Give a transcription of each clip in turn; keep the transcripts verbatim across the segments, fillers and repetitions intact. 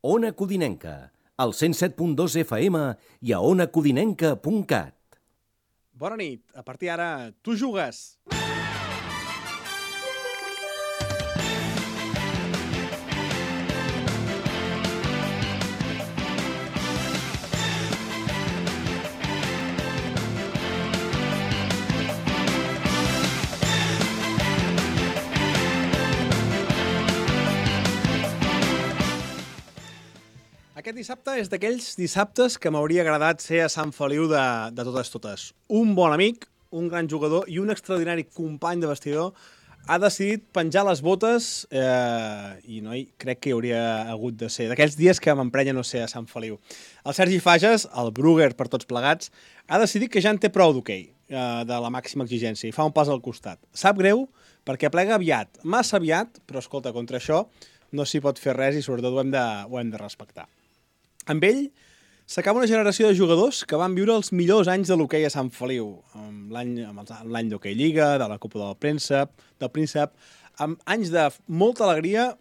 Ona Codinenca, al cent set punt dos F M i a ona codinenca punt cat. Bona nit. A partir d'ara, tu jugues. Aquest dissabte és d'aquells dissabtes que m'hauria agradat ser a Sant Feliu de, de totes totes. Un bon amic, un gran jugador i un extraordinari company de vestidor ha decidit penjar les botes eh, i no, crec que hi hauria hagut de ser. D'aquells dies que m'emprenya no ser a Sant Feliu. El Sergi Fages, el Brugger per tots plegats, ha decidit que ja en té prou d'hoquei, eh, de la màxima exigència, i fa un pas al costat. Sap greu perquè plega aviat, massa aviat, però escolta, contra això no s'hi pot fer res i sobretot ho hem de, ho hem de respectar. Amb ell s'acaba una generació de jugadors que van viure els millors anys de l'hoquei a Sant Feliu, amb l'any d'Hoquei Lliga, de la Copa del Príncep, del Príncep, amb anys de molta alegria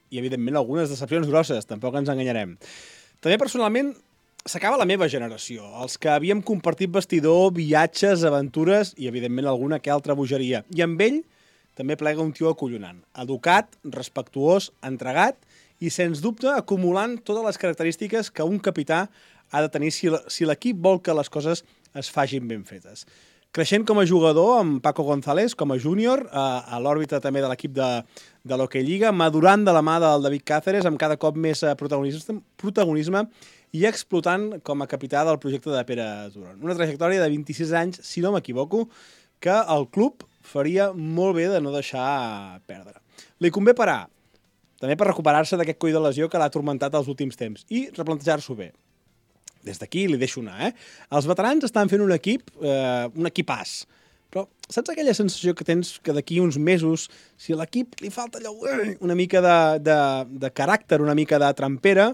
i, evidentment, algunes decepcions grosses, tampoc ens enganyarem. També, personalment, s'acaba la meva generació, els que havíem compartit vestidor, viatges, aventures i, evidentment, alguna que altra bogeria. I amb ell també plega un tio acollonant, educat, respectuós, entregat i, sens dubte, acumulant totes les característiques que un capità ha de tenir si, si l'equip vol que les coses es facin ben fetes. Creixent com a jugador amb Paco González, com a júnior, a, a l'òrbita també de l'equip de, de l'Hoquei Lliga, madurant de la mà del David Cáceres amb cada cop més protagonisme, protagonisme i explotant com a capità del projecte de Pere Duran. Una trajectòria de vint-i-sis anys, si no m'equivoco, que el club faria molt bé de no deixar perdre. Li convé parar, també per recuperar-se d'aquest coll de lesió que l'ha atormentat els últims temps i replantejar-s'ho bé. Des d'aquí li deixo anar, eh? Els veterans estan fent un equip, eh, un equipàs, però saps aquella sensació que tens que d'aquí uns mesos, si a l'equip li falta allò, una mica de, de, de caràcter, una mica de trampera,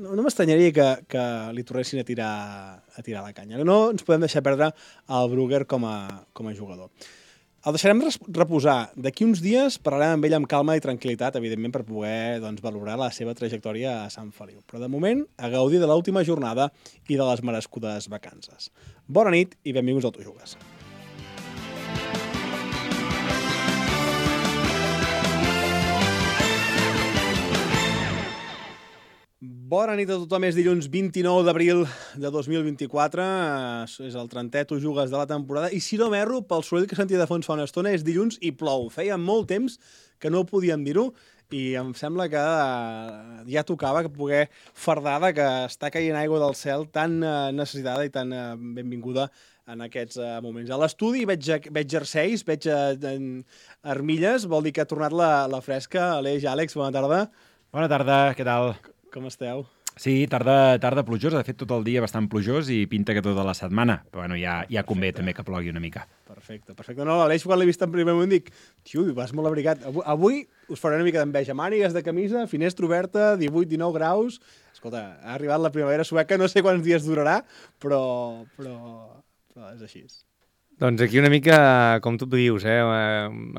no, no m'estranyaria que, que li tornessin a tirar, a tirar la canya. No ens podem deixar perdre el Brugger com a, com a jugador. El deixarem reposar. D'aquí uns dies parlarem amb ell amb calma i tranquil·litat, evidentment, per poder doncs, valorar la seva trajectòria a Sant Feliu. Però, de moment, a gaudir de l'última jornada i de les merescudes vacances. Bona nit i benvinguts al Tu Jugues. Bona nit a tothom, és dilluns vint-i-nou d'abril de dos mil vint-i-quatre, és el trentè Tu Jugues de la temporada, i si no m'erro, pel soroll que sentia de fons fa una estona, és dilluns i plou. Feia molt temps que no podíem dir-ho, i em sembla que ja tocava que poder fardar que està caient aigua del cel tan necessitada i tan benvinguda en aquests moments. A l'estudi veig, veig jerseis, veig armilles, vol dir que ha tornat la, la fresca. Aleix, Àlex, bona tarda. Bona tarda, què tal? Com esteu? Sí, tarda, tarda plujosa, de fet tot el dia bastant plujós i pinta que tota la setmana, però bueno, ja, ja convé també que plogui una mica. Perfecte, perfecte. No, l'Aleix quan l'he vist en primer moment dic, tio, vas molt abrigat. Avui, avui us faré una mica d'enveja. Mànigues de camisa, finestra oberta, divuit dinou graus. Escolta, ha arribat la primavera sueca, no sé quants dies durarà, però, però, però és així. Doncs aquí una mica, com tu dius, eh,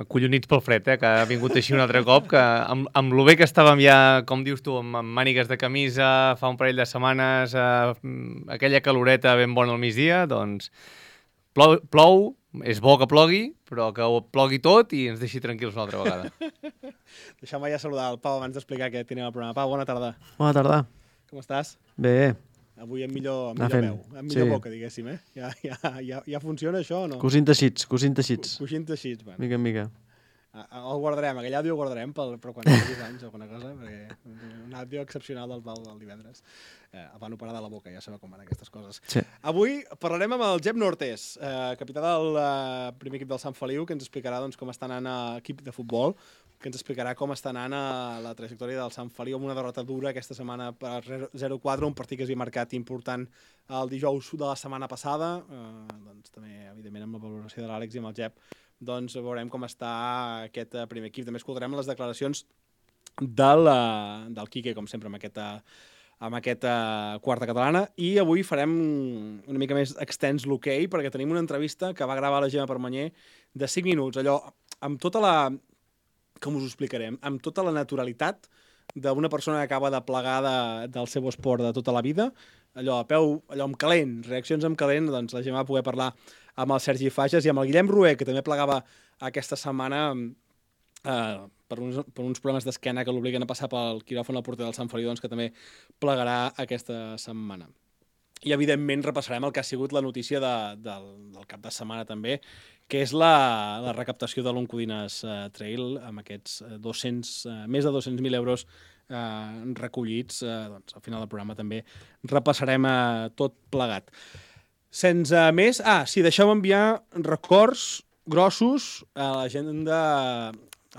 acollonits pel fred, eh, que ha vingut així un altre cop, que amb, amb lo bé que estàvem ja, com dius tu, amb, amb mànigues de camisa, fa un parell de setmanes, eh, aquella caloreta ben bona al migdia, doncs plou, plou, és bo que plogui, però que ho plogui tot i ens deixi tranquils una altra vegada. Deixa'm ja saludar el Pau abans d'explicar què tenim al programa. Pau, bona tarda. Bona tarda. Com estàs? Bé. Avui amb millor, amb millor veu, amb millor sí. boca, diguéssim, eh? Ja, ja, ja, ja funciona això o no? Cosint teixits, cosint teixits. Cosint teixits, bueno. Mica en mica. El guardarem, aquell àudio el guardarem, però quan hi hagi anys o alguna cosa, perquè un àudio excepcional del Pau del divendres. Eh, el van operar de la boca, ja sabeu com van aquestes coses. Sí. Avui parlarem amb el Jep Nortes, eh, capità del eh, primer equip del Sant Feliu, que ens explicarà doncs, com està anant l'equip de futbol, que ens explicarà com està anant a la trajectòria del Sant Feliu amb una derrota dura aquesta setmana per zero quatre, un partit que s'hi ha marcat important el dijous de la setmana passada. Eh, doncs, també, evidentment, amb la valoració de l'Àlex i amb el Jep, doncs veurem com està aquest primer equip. També escoltarem les declaracions del, del Quique, com sempre, amb aquesta, amb aquesta quarta catalana. I avui farem una mica més extens l'hoquei, perquè tenim una entrevista que va gravar la Gemma Permanyer de cinc minuts, allò amb tota la... com us ho explicarem, amb tota la naturalitat d'una persona que acaba de plegar de, del seu esport de tota la vida, allò a peu, allò amb calent, reaccions amb calent, doncs la gent va poder parlar amb el Sergi Fages i amb el Guillem Rué, que també plegava aquesta setmana eh, per, uns, per uns problemes d'esquena que l'obliguen a passar pel quiròfan al porter del Sant Feliu, doncs que també plegarà aquesta setmana. I, evidentment, repassarem el que ha sigut la notícia de, del, del cap de setmana també, que és la, la recaptació de l'Oncodines uh, Trail amb aquests dos-cents, uh, més de dos-cents mil euros uh, recollits. Uh, doncs, al final del programa també repassarem uh, tot plegat. Sense més... Ah, sí, deixeu enviar records grossos a la gent de...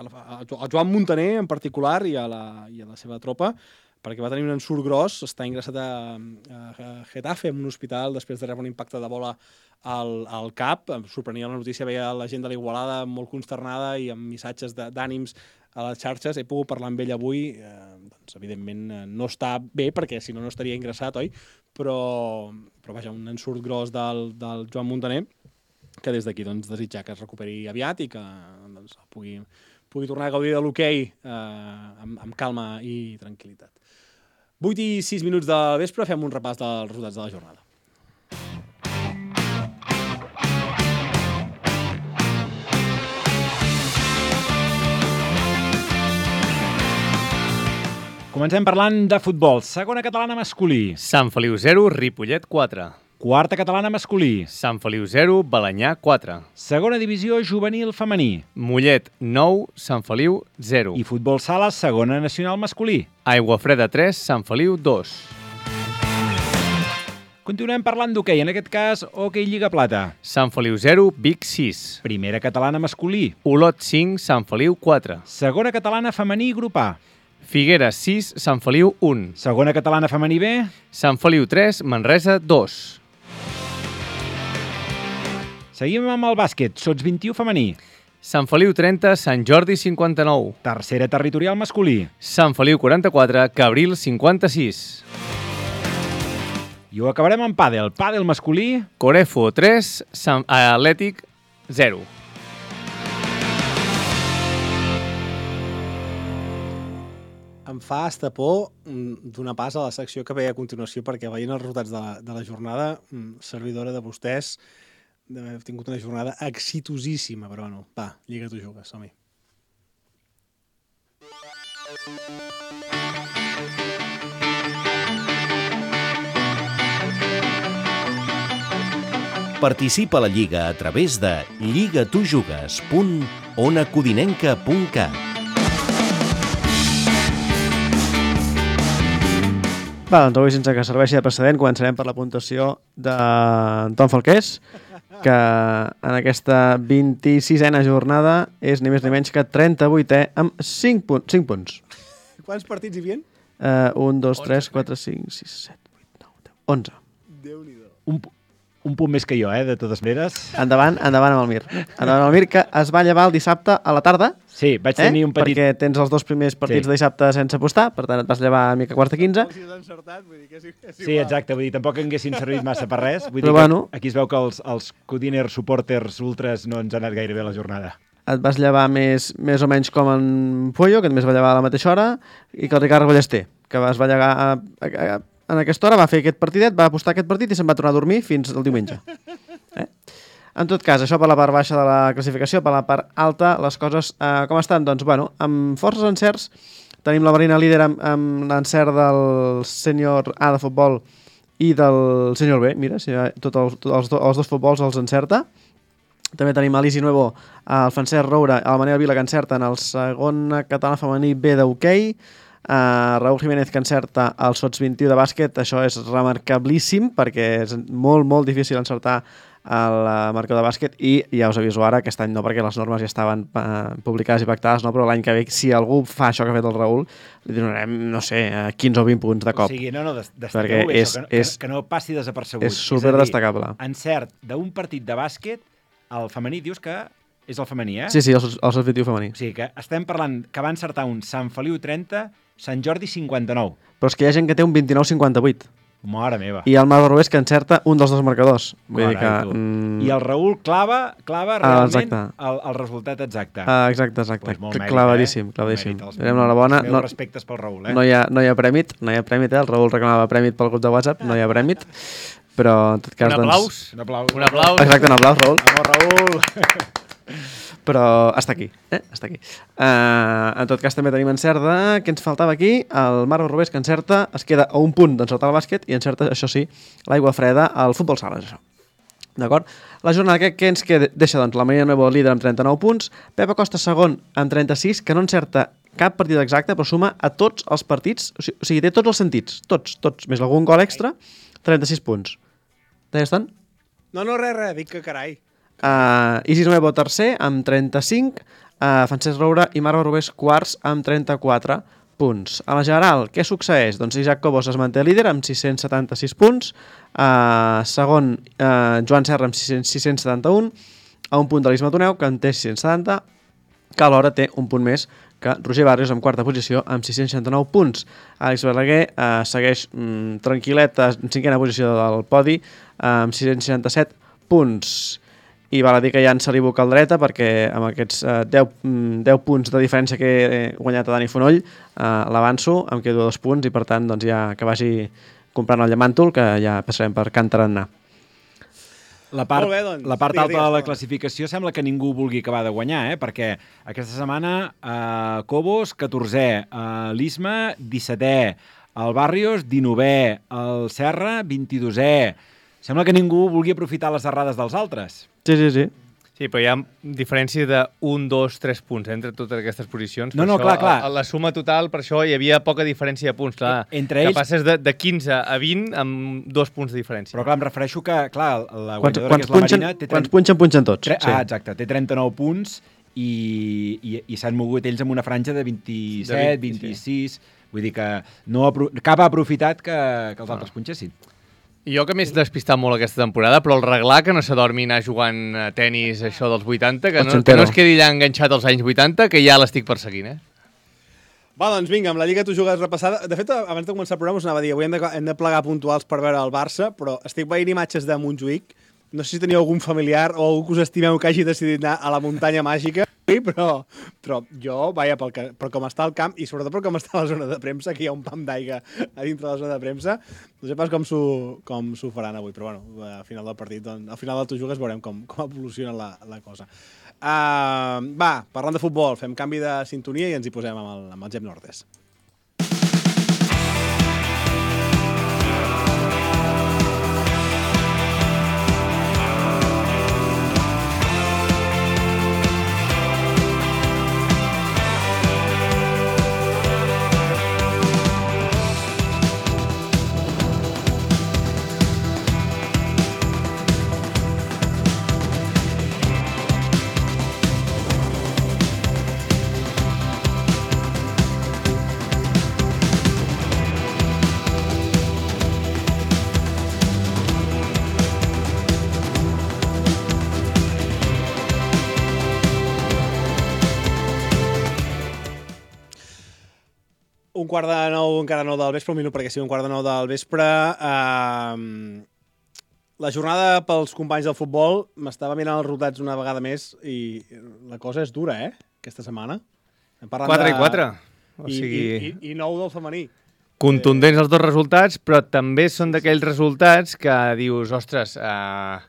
A la, a Joan Muntaner, en particular, i a la, i a la seva tropa, perquè va tenir un ensurt gros, està ingressat a, a Getafe, en un hospital, després de rebre un impacte de bola al, al cap. Em sorprenia la notícia, veia la gent de l'Igualada molt consternada i amb missatges d'ànims a les xarxes. He pogut parlar amb ell avui, eh, doncs, evidentment no està bé, perquè si no, no estaria ingressat, oi? Però, però vaja, un ensurt gros del, del Joan Muntaner, que des d'aquí doncs, desitjar que es recuperi aviat i que doncs, pugui, pugui tornar a gaudir de l'hoquei eh, amb, amb calma i tranquil·litat. vuit i sis minuts del vespre, fem un repàs dels resultats de la jornada. Comencem parlant de futbol. Segona catalana masculí. Sant Feliu zero, Ripollet quatre. Quarta catalana masculí. Sant Feliu zero, Balenyà quatre. Segona divisió juvenil femení. Mollet nou, Sant Feliu zero. I futbol sala, segona nacional masculí. Aiguafreda tres, Sant Feliu dos. Continuem parlant d'hoquei, en aquest cas, hoquei Lliga Plata. Sant Feliu zero, Vic sis. Primera catalana masculí. Olot cinc, Sant Feliu quatre. Segona catalana femení grup A. Figueres sis, Sant Feliu un. Segona catalana femení B. Sant Feliu tres, Manresa dos. Seguim amb el bàsquet, sots vint-i-u femení. Sant Feliu trenta, Sant Jordi cinquanta-nou. Tercera territorial masculí. Sant Feliu quaranta-quatre, Cabril cinquanta-sis. I ho acabarem amb pàdel. Pàdel masculí. Corefo tres, Sant Atlètic zero. Em fa estapor donar pas a la secció que ve a continuació, perquè veient els resultats de la, de la jornada, servidora de vostès, d'haver tingut una jornada exitosíssima, però no. Va, Lliga tu jugues, som-hi. Participa a la Lliga a través de lligatujugues punt onacodinenca punt cat. Va, doncs avui, sense que serveixi de precedent, començarem per la puntuació d'Anton Falqués, que en aquesta vint-i-sisena jornada és ni més ni menys que trenta-vuitè amb cinc punts. Quants partits hi havia? Uh, un, dos, tres, quatre, cinc, sis, set, vuit, nou, deu, onze. Déu-n'hi-do. Un, un punt més que jo, eh, de totes maneres. Endavant, endavant amb el Mir. Endavant amb el Mir, que es va llevar el dissabte a la tarda. Sí, vaig tenir eh? un petit... Perquè tens els dos primers partits sí. de dissabte sense apostar, per tant et vas llevar a mica quarta quinze. Si t'has encertat, vull dir que és, és igual. Sí, exacte, vull dir, tampoc haguessin servit massa per res. Vull Però dir que bueno. Aquí es veu que els, els Codiner supporters ultras no ens ha anat gaire bé la jornada. Et vas llevar més, més o menys com en Pollo, que també es va llevar a la mateixa hora, i que el Ricard Ballester, que es va llevar a, a, a, en aquesta hora, va fer aquest partidet, va apostar aquest partit i se'n va tornar a dormir fins el diumenge. Eh? En tot cas, això per la part baixa de la classificació, per la part alta, les coses eh, com estan? Doncs, bueno, amb forces encerts, tenim la Marina líder amb, amb l'encert del sènior A de futbol i del sènior B. Mira, si tots els, tot els, do, els dos futbols els encerta. També tenim a l'Isi Nuevo, el Francesc Roura, el Manel Vila, que encerten el segon català femení B d'hoquei, Uh, Raúl Jiménez, que encerta el sots vint-i-u de bàsquet. Això és remarcablíssim perquè és molt, molt difícil encertar el marcador de bàsquet i ja us aviso ara, aquest any no, perquè les normes ja estaven uh, publicades i pactades, no? Però l'any que ve, si algú fa això que ha fet el Raúl, li donarem, no sé, quinze o vint punts de cop. O sigui, no, no, destaqueu bé és, això, que, és, que, que no passi desapercebut. És super destacable. Encert d'un partit de bàsquet, el femení dius que és el femení, eh? Sí, sí, el sots vint-i-u femení. O sigui, que estem parlant que va encertar un Sant Feliu trenta, Sant Jordi cinquanta-nou. Però és que hi ha gent que té un vint-i-nou cinquanta-vuit. Mare meva. I el Marc Rubés que encerta un dels dos marcadors. Vull dir que... Mm... I el Raül clava, clava realment ah, el, el resultat exacte. Ah, exacte, exacte. Pues molt mèrit, clavadíssim, eh? clavadíssim. Donem l'enhorabona. Els meus no, respectes pel Raül, eh? No hi ha, no hi ha prèmit, no hi ha prèmit, eh? El Raül reclamava prèmit pel grup de WhatsApp, no hi ha prèmit. Però, en tot cas, un aplaus. doncs... Un aplaus. Un aplaus. Exacte, un aplaus, Raül. Vamos, Raül. Però està aquí, eh? Està aquí. Uh, en tot cas, també tenim encert de... Què ens faltava aquí? El Marc Rubés, que encerta, es queda a un punt d'encertar el bàsquet i encerta, això sí, l'aigua freda al futbol sala, això. D'acord? La jornada que, que ens queda, deixa doncs, la Marina Nuevo líder amb trenta-nou punts, Pep Acosta segon amb trenta-sis, que no encerta cap partit exacte, però suma a tots els partits, o sigui, o sigui té tots els sentits, tots, tots, més algun gol extra, trenta-sis punts. Deies tant? No, no, res, res, dic que carai. Uh, Isis Nuevo tercer amb trenta-cinc, uh, Francesc Roura i Marc Rubés quarts amb trenta-quatre punts. A la general, què succeeix? Doncs Isaac Cobos es manté líder amb sis-cents setanta-sis punts, uh, segon uh, Joan Serra amb sis-cents setanta-un, a un punt de l'Isma Toneu, que en té sis-cents setanta, que alhora té un punt més que Roger Barrios en quarta posició amb sis-cents seixanta-nou punts. Àlex Balaguer uh, segueix mm, tranquil·let en cinquena posició del podi uh, amb sis-cents seixanta-set punts. I val a dir que ja en se li boca el dreta perquè amb aquests uh, deu, deu punts de diferència que he guanyat a Dani Fonoll uh, l'avanço, em quedo dos punts i per tant doncs, ja que vagi comprant el llamàntol que ja passarem per Can Tarannà. La part, bé, doncs. la part Digues, alta de la digues, classificació sembla que ningú vulgui acabar de guanyar, eh? Perquè aquesta setmana eh, Cobos, catorzè, eh, l'Isma, dissetè, el Barrios, dinovè, el Serra, vint-i-dosè. Sembla que ningú vulgui aprofitar les errades dels altres. Sí, sí, sí. Sí, però hi ha diferència de un, dos, tres punts entre totes aquestes posicions. No, Per no, això, clar, clar. A, a la suma total, per això hi havia poca diferència de punts. Clar, Entre que ells- passes de, de quinze a vint amb dos punts de diferència. Però clar, em refereixo que, clar, la Quants, guanyadora, quants, que és la punxen, Marina, té quants trenta... punxen, punxen tots. Tre... Sí. Ah, exacte, té trenta-nou punts i, i, i s'han mogut ells amb una franja de vint-i-set, De vint, vint-i-sis... Vull dir que no apro... cap ha aprofitat que, que els altres punxessin. I jo que m'he despistat molt aquesta temporada, però el reglar que no s'adormi anar jugant a tenis això dels vuitanta, que no, que Ochentero. no es quedi allà enganxat als anys vuitanta, que ja l'estic perseguint, eh? Va, doncs vinga, amb la Lliga tu jugues repassada. De fet, abans de començar el programa us anava a dir, avui hem de, hem de plegar puntuals per veure el Barça, però estic veient imatges de Montjuïc. No sé si teniu algun familiar o algú que us estimeu que hagi decidit anar a la muntanya màgica, però, però jo, vaja, pel que, per com està el camp i sobretot per com està la zona de premsa, que hi ha un pam d'aigua a dintre de la zona de premsa, no sé pas com s'ho com s'ho faran avui, però bueno, al final del partit, doncs, al final del tu jugues veurem com, com evoluciona la, la cosa. Uh, va, parlant de futbol, fem canvi de sintonia i ens hi posem amb el, amb el Gep Nordes. Un quart de nou, encara nou del vespre, un minut perquè sigui un quart de nou del vespre. Uh, la jornada pels companys del futbol, m'estava mirant els resultats una vegada més i la cosa és dura, eh, aquesta setmana. quatre i quatre. O I, sigui... i, i, I nou del femení. Contundents els dos resultats, però també són d'aquells resultats que dius, ostres, eh,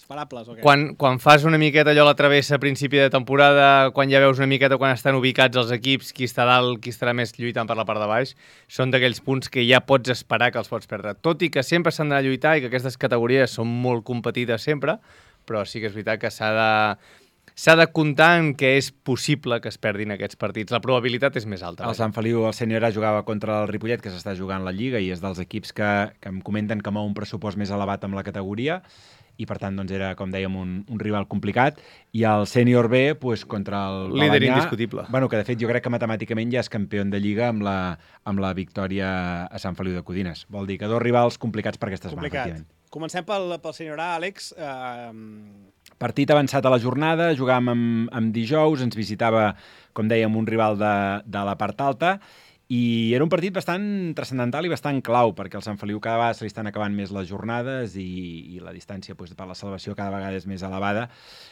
Esperables, o què? quan, quan fas una miqueta allò a la travessa a principi de temporada, quan ja veus una miqueta quan estan ubicats els equips, qui està dalt, qui estarà més lluitant per la part de baix, són d'aquells punts que ja pots esperar que els pots perdre. Tot i que sempre s'han d'anar a lluitar i que aquestes categories són molt competides sempre, però sí que és veritat que s'ha de... S'ha de comptar en que és possible que es perdin aquests partits. La probabilitat és més alta. El Sant Feliu, el sènior A, jugava contra el Ripollet, que s'està jugant la Lliga, i és dels equips que, que em comenten que mou un pressupost més elevat amb la categoria, i per tant doncs, era, com dèiem, un, un rival complicat. I el sènior B, pues, contra el Líder Balenyà, indiscutible. Bueno, que de fet jo crec que matemàticament ja és campió de Lliga amb la, amb la victòria a Sant Feliu de Codines. Vol dir que dos rivals complicats per aquesta setmana, Complicat. efectivament. Comencem pel, pel senyor A, Àlex. Uh, Partit avançat a la jornada, jugàvem amb, amb dijous, ens visitava, com dèiem, un rival de, de la part alta, I era un partit bastant transcendental i bastant clau, perquè al Sant Feliu cada vegada se li estan acabant més les jornades i, i la distància doncs, per la salvació cada vegada és més elevada.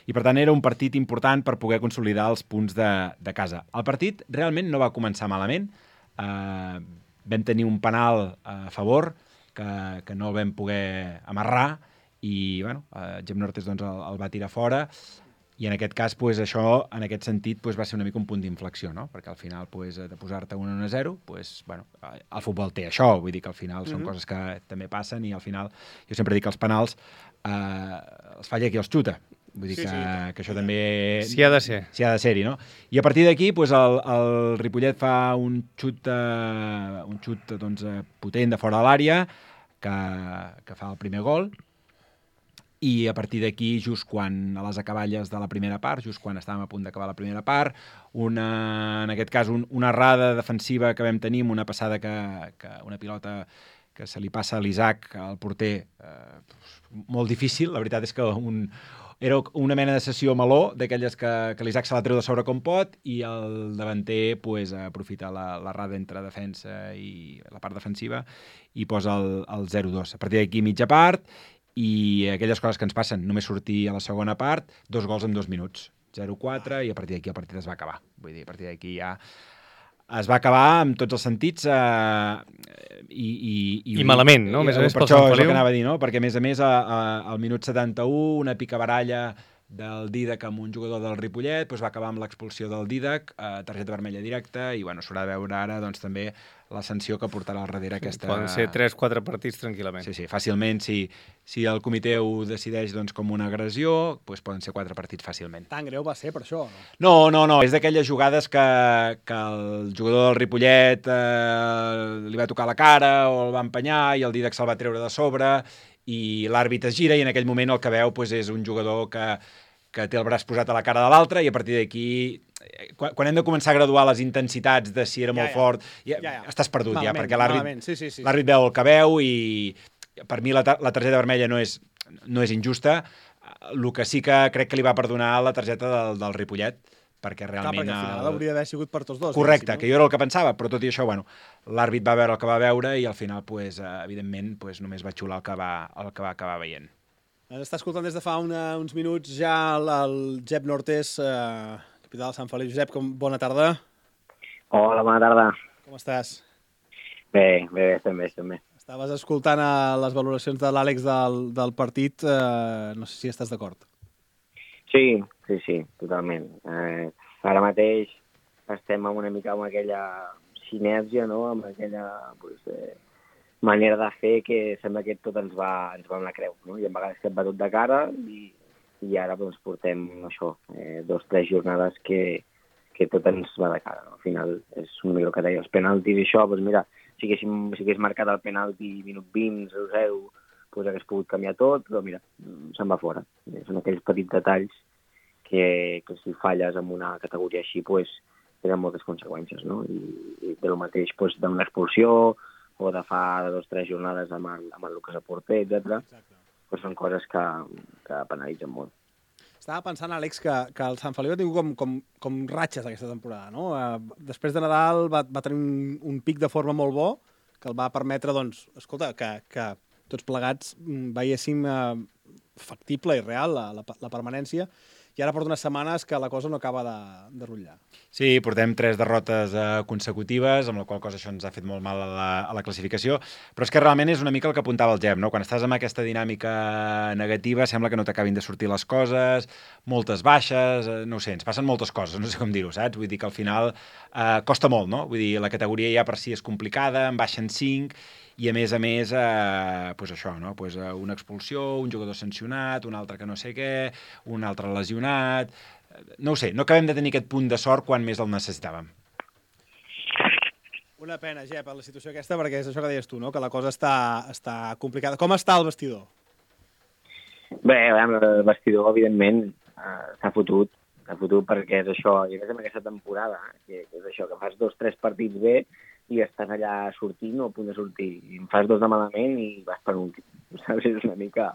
I, per tant, era un partit important per poder consolidar els punts de, de casa. El partit realment no va començar malament. Eh, vam tenir un penal a favor que, que no el vam poder amarrar i, bueno, eh, Jep Nortes doncs, el, el va tirar fora. I en aquest cas, pues, això, en aquest sentit, pues, va ser una mica un punt d'inflexió, no? Perquè al final, pues, de posar-te un a zero, pues, bueno, el futbol té això, vull dir que al final són mm-hmm. coses que també passen i al final, jo sempre dic que els penals eh, els falla qui els xuta. Vull dir sí, que, sí. que això també... Sí ha de ser. Sí ha de ser-hi, no? I a partir d'aquí, pues, el, el Ripollet fa un xut, eh, un xut doncs, potent de fora de l'àrea que, que fa el primer gol. I a partir d'aquí, just quan a les acaballes de la primera part, just quan estàvem a punt d'acabar la primera part, una, en aquest cas un, una errada defensiva que vam tenir, una passada que, que una pilota que se li passa a l'Isaac, al porter, eh, molt difícil. La veritat és que un, era una mena de sessió meló, d'aquelles que, que l'Isaac se la treu de sobre com pot, i el davanter pues, aprofita l'errada entre defensa i la part defensiva i posa el, el zero dos. A partir d'aquí, mitja part, i aquelles coses que ens passen, només sortir a la segona part, dos gols en dos minuts, zero quatre, i a partir d'aquí el partit es va acabar. Vull dir, a partir d'aquí ja es va acabar amb tots els sentits eh, i, i, i... I malament, no? I, més a més per pel això Sant és el Feliu. que anava a dir, no? Perquè a més a més a, a, al minut setanta-u una picabaralla del Dídac amb un jugador del Ripollet, doncs va acabar amb l'expulsió del Dídac, eh, targeta vermella directa, i bueno, s'haurà de veure ara doncs, també la sanció que portarà al darrere aquesta... Poden ser tres quatre partits tranquil·lament. Sí, sí, fàcilment, si, si el comitè ho decideix doncs, com una agressió, doncs poden ser quatre partits fàcilment. Tan greu va ser per això, no? No, no, no, és d'aquelles jugades que, que el jugador del Ripollet eh, li va tocar la cara o el va empenyar i el Dídac se'l va treure de sobre i l'àrbit es gira i en aquell moment el que veu doncs, és un jugador que, que té el braç posat a la cara de l'altre i a partir d'aquí... Quan, quan hem de començar a graduar les intensitats de si era ja, molt ja. fort, ja, ja, ja. estàs perdut malament, ja, perquè l'àrbit sí, sí, sí. veu el que veu i per mi la, la targeta vermella no és, no és injusta. El que sí que crec que li va perdonar la targeta del, del Ripollet, perquè realment... Clar, perquè al final hauria d'haver sigut per tots dos. Correcte, no? que jo era el que pensava, però tot i això, bueno, l'àrbit va veure el que va veure i al final, pues, evidentment, pues, només va xular el que va, el que va acabar veient. Ens està escoltant des de fa una, uns minuts ja el, el Jep Nortes, eh, capità del Sant Feliu. Josep, com, bona tarda. Hola, bona tarda. Com estàs? Bé, bé, estem bé, estem bé. Estaves escoltant a les valoracions de l'Àlex del, del partit, eh, no sé si estàs d'acord. Sí, sí, sí, totalment. Eh, ara mateix estem amb una mica amb aquella sinergia, no?, amb aquella pues, eh, manera de fer que sembla que tot ens va, ens va amb la creu, no? I a vegades que et va tot de cara i, i ara doncs, portem això, eh, dos, tres jornades que, que tot ens va de cara, no? Al final és una mica el que deia, els penaltis i això, doncs mira, si haguéssim, si hagués marcat el penalti minut vint, zero zero, doncs hagués pogut canviar tot, però mira, se'n va fora. Són aquells petits detalls que, que si falles en una categoria així, doncs tenen moltes conseqüències, no? I, i del mateix, doncs, d'una expulsió o de fa dos o tres jornades amb el, amb el Lucas Aporter, etcètera, doncs són coses que, que penalitzen molt. Estava pensant, Àlex, que, que el Sant Feliu ha tingut com, com, com ratxes aquesta temporada, no? Eh, després de Nadal va, va tenir un, un pic de forma molt bo que el va permetre, doncs, escolta, que, que tots plegats veiéssim eh, factible i real la, la, la permanència, i ara porta unes setmanes que la cosa no acaba de, de rotllar. Sí, portem tres derrotes eh, consecutives, amb la qual cosa això ens ha fet molt mal a la, a la classificació, però és que realment és una mica el que apuntava el Gep, no? Quan estàs amb aquesta dinàmica negativa sembla que no t'acabin de sortir les coses, moltes baixes, eh, no ho sé, ens passen moltes coses, no sé com dir-ho, saps? Vull dir que al final eh, costa molt, no? Vull dir, la categoria ja per si és complicada, en baixen cinc, i a més a més, eh, pues això, no? Pues, eh, una expulsió, un jugador sancionat, un altre que no sé què, un altre lesionat... No ho sé, no acabem de tenir aquest punt de sort quan més el necessitàvem. Una pena, Jep, la situació aquesta, perquè és això que deies tu, no? Que la cosa està, està complicada. Com està el vestidor? Bé, el vestidor, evidentment, eh, s'ha fotut, s'ha fotut perquè és això, i a més amb aquesta temporada, que, que és això, que fas dos, tres partits bé, i estàs allà sortint o a punt de sortir. I en fas dos de malament i vas per últim. Saps? És una mica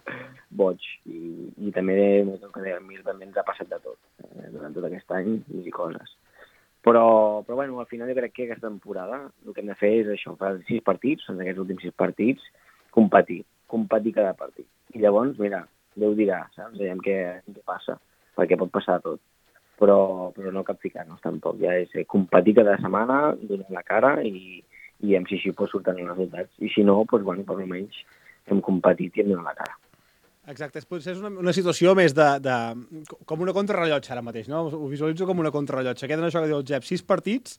boig. I, i també, el que deia, a mi també ens ha passat de tot, eh, durant tot aquest any i coses. Però, però bueno, al final jo crec que aquesta temporada el que hem de fer és això, fer sis partits, en aquests últims sis partits, competir, competir cada partit. I llavors, mira, Déu dirà, saps? Veiem què, què passa, perquè pot passar tot. Però, però no capficar-nos tampoc, ja és competir cada setmana, donar la cara i, i veiem si així pues, surten els resultats. I si no, doncs, bueno, per almenys hem competit i hem donat la cara. Exacte, potser és una, una situació més de, de... com una contrarrellotge ara mateix, no? Ho visualitzo com una contrarrellotge. Queden això que diu el Jep, sis partits,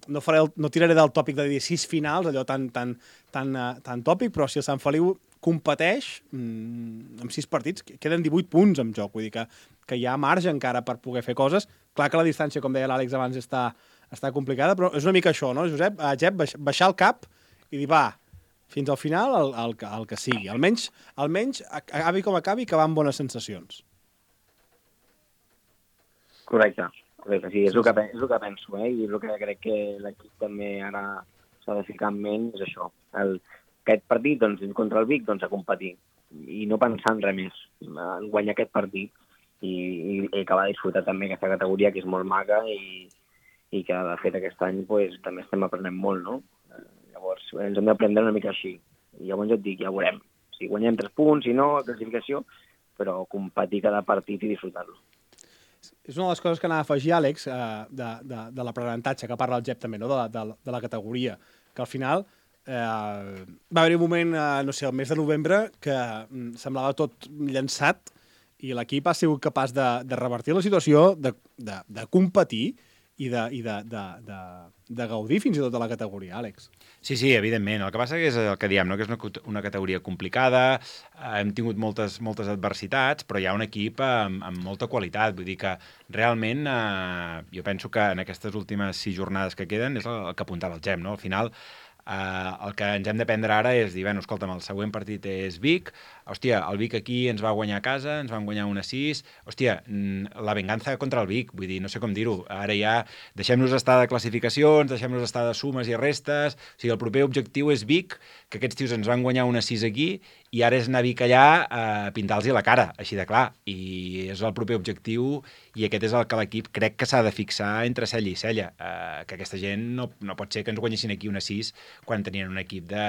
no, faré el, no tiraré del tòpic de dir sis finals, allò tan, tan, tan, uh, tan tòpic, però si el Sant Feliu competeix mmm, amb sis partits, queden divuit punts en joc, vull dir que, que hi ha marge encara per poder fer coses. Clar que la distància, com deia l'Àlex abans, està, està complicada, però és una mica això, no, Josep? Uh, Jep, baixar el cap i dir, va, fins al final el, el, el que sigui. Almenys, almenys, acabi com acabi, que va amb bones sensacions. Correcte, correcte, sí, és el que, és el que penso, eh? I és el que crec que l'equip també ara s'ha de ficar en ment, és això. El, aquest partit, doncs, contra el Vic, doncs, a competir. I no pensar en res més, en guanyar aquest partit i, i, i acabar de disfrutar també aquesta categoria, que és molt maca i, i que, de fet, aquest any pues, també estem aprenent molt, no? Llavors, ens hem d'aprendre una mica així. I llavors jo et dic, ja veurem. Si guanyem tres punts, si no, classificació, però competir cada partit i disfrutar-lo. És una de les coses que anava a afegir, Àlex, eh, de, de, de l'aprenentatge, que parla el Jep també, no? de, la, de, de la categoria, que al final eh, va haver un moment, eh, no sé, el mes de novembre, que mm, semblava tot llançat i l'equip ha sigut capaç de, de revertir la situació, de, de, de competir i, de, i de, de, de, de gaudir fins i tot de la categoria, Àlex. Sí, sí, evidentment. El que passa que és el que diem, no? Que és una, una categoria complicada, eh, hem tingut moltes, moltes adversitats, però hi ha un equip amb, amb molta qualitat. Vull dir que realment eh, jo penso que en aquestes últimes sis jornades que queden és el, el que apuntava el Gem, no? Al final, eh, el que ens hem de prendre ara és dir, bueno, escolta'm, el següent partit és Vic, hòstia, el Vic aquí ens va guanyar a casa, ens van guanyar una sis, hòstia, la venganza contra el Vic, vull dir, no sé com dir-ho, ara ja deixem-nos estar de classificacions, deixem-nos estar de sumes i restes, o sigui, el proper objectiu és Vic, que aquests tios ens van guanyar una sis aquí, i ara és anar a Vic allà a pintar-los la cara, així de clar, i és el proper objectiu, i aquest és el que l'equip crec que s'ha de fixar entre cella i cella, eh, que aquesta gent no, no pot ser que ens guanyessin aquí una sis quan tenien un equip de...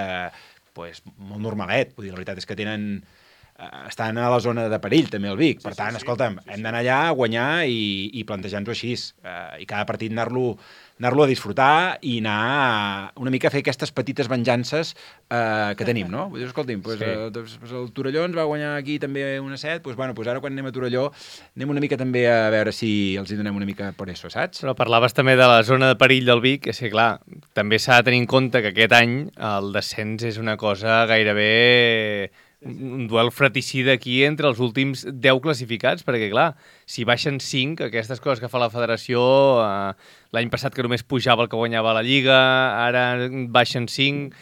pues, molt normalet, vull dir, la veritat és que tenen eh, estan a la zona de perill també el Vic, per sí, tant, sí, escolta'm, sí, sí. hem d'anar allà a guanyar i, i plantejar-nos-ho així, eh, i cada partit anar-lo anar-lo a disfrutar i anar a, una mica a fer aquestes petites venjances eh, que tenim, no? Vull dir, escolti'm, pues, Sí. eh, doncs, pues el Torelló ens va guanyar aquí també una set, pues, bueno, pues ara quan anem a Torelló anem una mica també a veure si els hi donem una mica per això, saps? Però parlaves també de la zona de perill del Vic, és que clar, també s'ha de tenir en compte que aquest any el descens és una cosa gairebé un duel fratricida aquí entre els últims deu classificats, perquè clar, si baixen cinc, aquestes coses que fa la federació, eh, l'any passat que només pujava el que guanyava la Lliga, ara baixen cinc,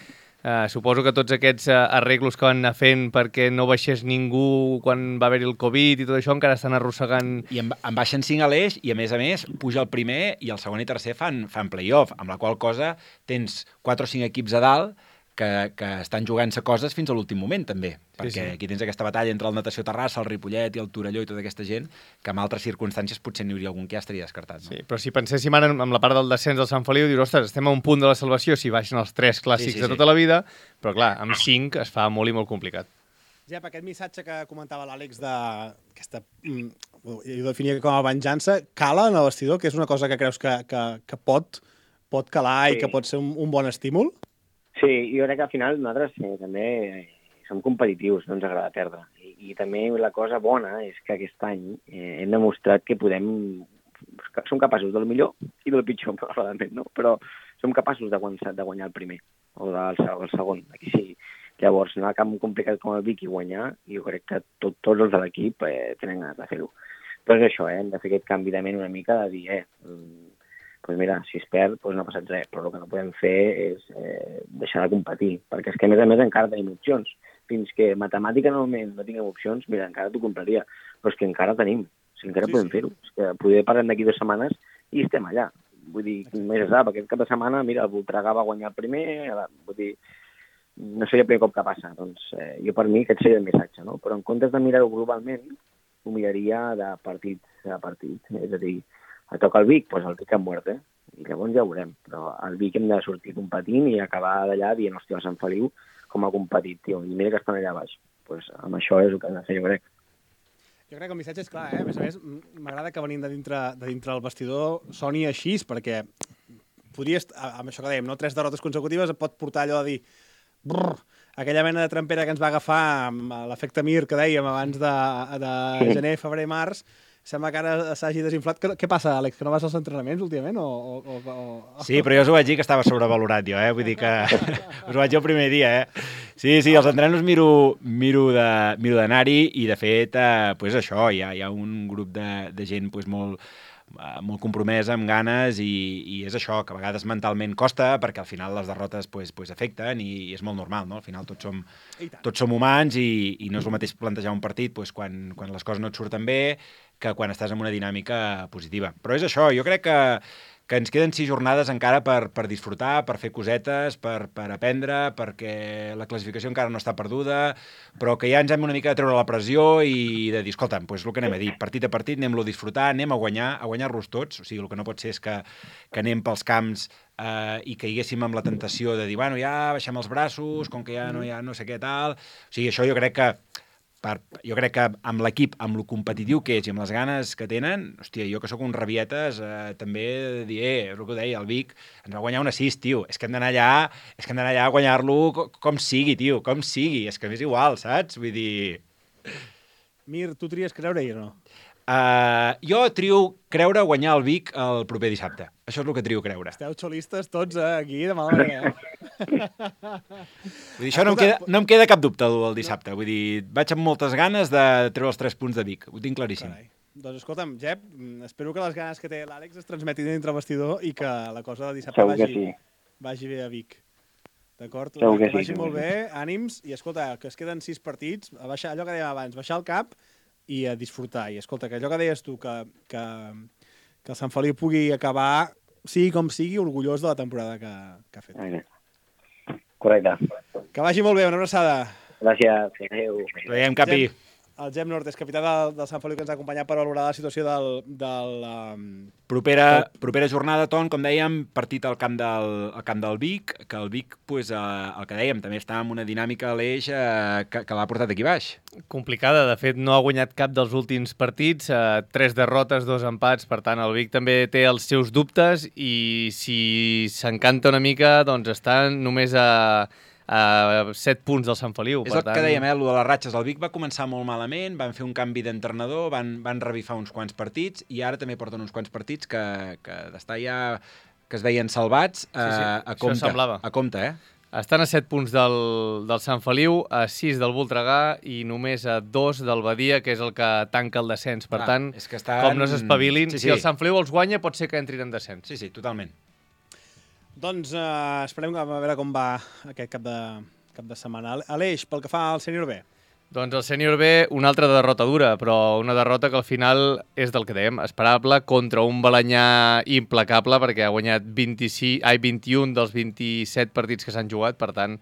eh, suposo que tots aquests eh, arreglos que van anar fent perquè no baixés ningú quan va haver-hi el Covid i tot això encara estan arrossegant... I en, en baixen cinc a l'eix i, a més a més, puja el primer i el segon i tercer fan, fan play-off, amb la qual cosa tens quatre o cinc equips a dalt que, que estan jugant-se coses fins a l'últim moment, també. Perquè sí. aquí tens aquesta batalla entre el Natació Terrassa, el Ripollet i el Torelló i tota aquesta gent, que en altres circumstàncies potser n'hi hauria algun que ja estaria descartat. No? Sí, però si penséssim ara en, en la part del descens del Sant Feliu, dius, ostres, estem a un punt de la salvació si baixen els tres clàssics Sí, sí, de sí. tota la vida, però clar, amb cinc es fa molt i molt complicat. Jep, aquest missatge que comentava l'Àlex d'aquesta... Mm, jo ho definia com a venjança, cala en el vestidor, que és una cosa que creus que, que, que pot, pot calar Sí. i que pot ser un, un bon estímul? Sí, jo crec que al final nosaltres eh, també som competitius, no ens agrada perdre. I, i també la cosa bona és que aquest any eh, hem demostrat que podem... que som capaços del millor i del pitjor, probablement, no? Però som capaços de guanyar, de guanyar el primer o del el segon, aquí sí. Llavors, anar a camp complicat com el Vic i guanyar, jo crec que tot, tots els de l'equip eh, tenen ganes de fer-ho. Però és això, eh, hem de fer aquest canvi de ment una mica de dir, eh, doncs mira, si es perd, doncs no ha passat res, però el que no podem fer és eh, deixar de competir, perquè és que a més a més encara tenim opcions. Fins que matemàticament no tinguem opcions, mira, encara t'ho compraria, però és que encara tenim, o sigui, encara Sí, sí, podem sí. fer-ho. És que poder parlem d'aquí dues setmanes i estem allà. Vull dir, més es sap, aquest cap de setmana, mira, el Voltregà va guanyar el primer, vull dir, no seria el primer cop que passa. Doncs eh, jo per mi aquest seria el missatge, no? Però en comptes de mirar-ho globalment, ho miraria de partit a partit. És a dir, a toca el Vic, doncs el Vic a muerte. i llavors ja ho veurem. Però al Vic hem de sortir competint i acabar d'allà dient, hòstia, Sant Feliu com a competit, tio, i mira que estan allà baix. Pues amb això és el que hem de fer, jo crec. Jo crec que el missatge és clar, eh? A més a més, m'agrada que venint de dintre, de dintre el vestidor soni així, perquè podries, amb això que dèiem, no? Tres derrotes consecutives et pot portar allò de dir brrr, aquella mena de trampera que ens va agafar amb l'efecte Mir que dèiem abans de, de gener, febrer, març, sembla que ara s'hagi desinflat. Què, què passa, Àlex, que no vas als entrenaments últimament? O, o, o... Sí, però jo us ho vaig dir que estava sobrevalorat jo, eh? Vull dir que us ho vaig dir el primer dia, eh? Sí, sí, els entrenos miro, miro de, miro d'anar-hi i, de fet, eh, pues això, hi ha, hi ha un grup de, de gent pues, molt, eh, molt compromesa, amb ganes, i, i és això, que a vegades mentalment costa, perquè al final les derrotes pues, pues, afecten i, i és molt normal, no? Al final tots som, tots som humans i, i no és el mateix plantejar un partit pues, quan, quan les coses no et surten bé que quan estàs en una dinàmica positiva. Però és això, jo crec que, que ens queden sis jornades encara per, per disfrutar, per fer cosetes, per, per aprendre, perquè la classificació encara no està perduda, però que ja ens hem una mica de treure la pressió i de dir, escolta'm, doncs el que anem a dir, partit a partit, anem-lo a disfrutar, anem a guanyar, a guanyar-los tots, o sigui, el que no pot ser és que, que anem pels camps eh, i que haguéssim amb la tentació de dir, bueno, ja baixem els braços, com que ja no, ja no sé què tal... O sigui, això jo crec que Per, jo crec que amb l'equip, amb lo competitiu que és i amb les ganes que tenen, hòstia, jo que sóc un rabietes, eh, també dir, eh, és el que deia, el Vic ens va guanyar un assist, tio, és que hem d'anar allà, és que hem d'anar allà a guanyar-lo com, com sigui, tio, com sigui, és que m'és igual, saps? Vull dir... Mir, tu tries creure-hi o no? Uh, jo trio creure guanyar el Vic el proper dissabte. Això és el que trio creure. Esteu xolistes tots eh, aquí, de mala manera, eh? Vull dir, això no em, queda, no em queda cap dubte el dissabte. Vull dir, vaig amb moltes ganes de treure els tres punts de Vic. Ho tinc claríssim. Carai. Doncs escolta'm, Jep, espero que les ganes que té l'Àlex es transmetin dintre el vestidor i que la cosa de dissabte Segur que vagi, sí. vagi bé a Vic. D'acord? Segur que Que sí, vagi segur molt que bé, ànims, i escolta, que es queden sis partits, a baixar, allò que dèiem abans, baixar el cap i a disfrutar. I escolta, que allò que deies tu, que, que, que el Sant Feliu pugui acabar, sigui com sigui, orgullós de la temporada que, que ha fet. Correcte. Que vagi molt bé, una abraçada. Gràcies. Adéu. Veiem, Capi. Gem, el Gem Nord és capità del, del Sant Feliu que ens ha acompanyat per valorar la situació del... del um... Propera, propera jornada, Ton, com dèiem, partit al camp del, al camp del Vic, que el Vic, pues, eh, el que dèiem, també està en una dinàmica a l'eix eh, que, que l'ha portat aquí baix. Complicada, de fet no ha guanyat cap dels últims partits, eh, tres derrotes, dos empats, per tant el Vic també té els seus dubtes i si s'encanta una mica doncs està només a, a set punts del Sant Feliu. És per el tant... que dèiem, eh, el de les ratxes. El Vic va començar molt malament, van fer un canvi d'entrenador, van, van revifar uns quants partits i ara també porten uns quants partits que, que d'estar ja que es veien salvats eh, Sí, sí, a compte. això semblava. A compte, eh? Estan a set punts del, del Sant Feliu, a sis del Voltregà i només a dos del Badia, que és el que tanca el descens. Per Clar, tant, és que estan... com no s'espavilin, Sí, sí, sí. si el Sant Feliu els guanya pot ser que entrin en descens. Sí, sí, totalment. Doncs uh, esperem a veure com va aquest cap de, cap de setmana. Aleix, pel que fa al sènior B. Doncs el sènior B, una altra derrota dura, però una derrota que al final és del que dèiem, esperable, contra un Balanyà implacable, perquè ha guanyat vint-i-sis, ai, vint-i-un dels vint-i-set partits que s'han jugat, per tant,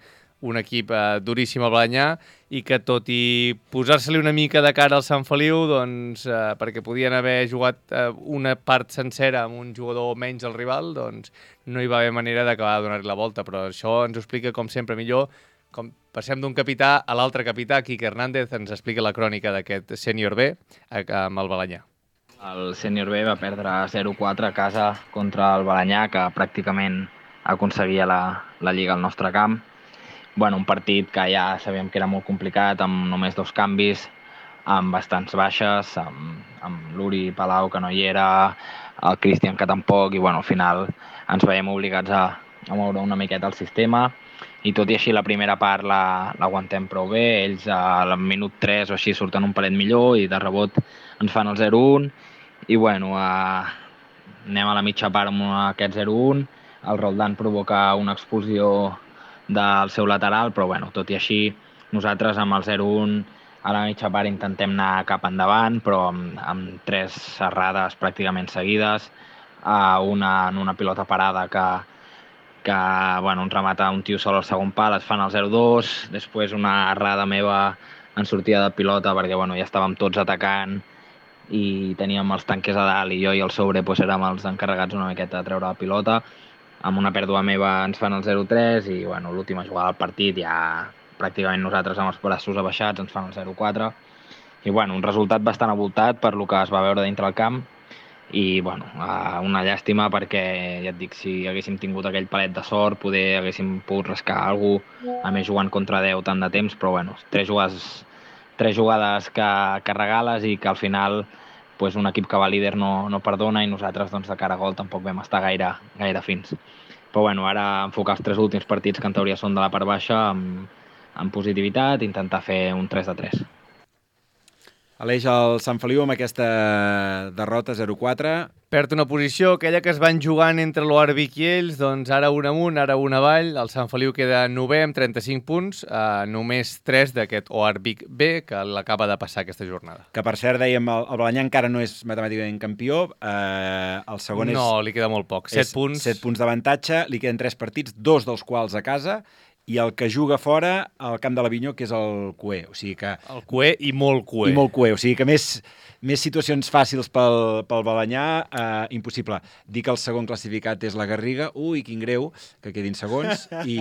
un equip eh, duríssim al Balanyà, i que tot i posar-se-li una mica de cara al Sant Feliu, doncs, eh, perquè podien haver jugat eh, una part sencera amb un jugador menys al rival, doncs no hi va haver manera d'acabar de donar-li la volta, però això ens ho explica, com sempre, millor. Com passem d'un capità a l'altre capità, Quique Hernández ens explica la crònica d'aquest sènior B amb el Balanyà. El sènior B va perdre zero quatre a casa contra el Balanyà, que pràcticament aconseguia la, la Lliga al nostre camp. Bueno, un partit que ja sabíem que era molt complicat, amb només dos canvis, amb bastants baixes, amb, amb l'Uri Palau, que no hi era, el Cristian, que tampoc, i bueno, al final ens veiem obligats a, a moure una miqueta el sistema. I tot i així la primera part l'aguantem la, prou bé, ells al minut tres o així surten un palet millor i de rebot ens fan el zero un i bueno, eh, anem a la mitja part amb aquest zero un, el Roldán provoca una expulsió del seu lateral, però bueno, tot i així nosaltres amb el zero un a la mitja part intentem anar cap endavant, però amb, amb tres errades pràcticament seguides, eh, una en una pilota parada que que bueno, ens remata un tio sol al segon pal, es fan el zero dos, després una errada meva en sortida de pilota perquè bueno, ja estàvem tots atacant i teníem els tanques a dalt i jo i el Sobre doncs, érem els encarregats una miqueta de treure la pilota. Amb una pèrdua meva ens fan el zero tres i bueno, l'última jugada del partit ja pràcticament nosaltres amb els braços abaixats ens fan el zero quatre. I bueno, un resultat bastant avoltat per lo que es va veure dintre el camp i bueno, una llàstima perquè ja et dic, si haguéssim tingut aquell palet de sort poder haguéssim pogut rascar alguna cosa, a més jugant contra deu tant de temps, però bueno, tres jugades, tres jugades que, que regales i que al final pues, un equip que va líder no, no perdona i nosaltres doncs, de cara a gol tampoc vam estar gaire, gaire fins. Però bueno, ara enfocar els tres últims partits que en teoria són de la part baixa amb, amb positivitat, intentar fer un tres de tres. Aleix, el Sant Feliu amb aquesta derrota zero quatre. Perd una posició, aquella que es van jugant entre l'O R Vic i ells, doncs ara un amunt, ara un avall. El Sant Feliu queda novè amb trenta-cinc punts, eh, només tres d'aquest O R Vic B, que l'acaba de passar aquesta jornada. Que per cert, dèiem, el, el Balanyà encara no és matemàticament campió, eh, el segon és... No, li queda molt poc, set punts. set punts d'avantatge, li queden tres partits, dos dels quals a casa, i el que juga fora al camp de l'Avinyó, que és el Cué. O sigui que... El Cué i molt Cué. I molt Cué. O sigui que més, més situacions fàcils pel, pel Balanyà, eh, impossible. Dir que el segon classificat és la Garriga, ui, quin greu, que quedin segons. I,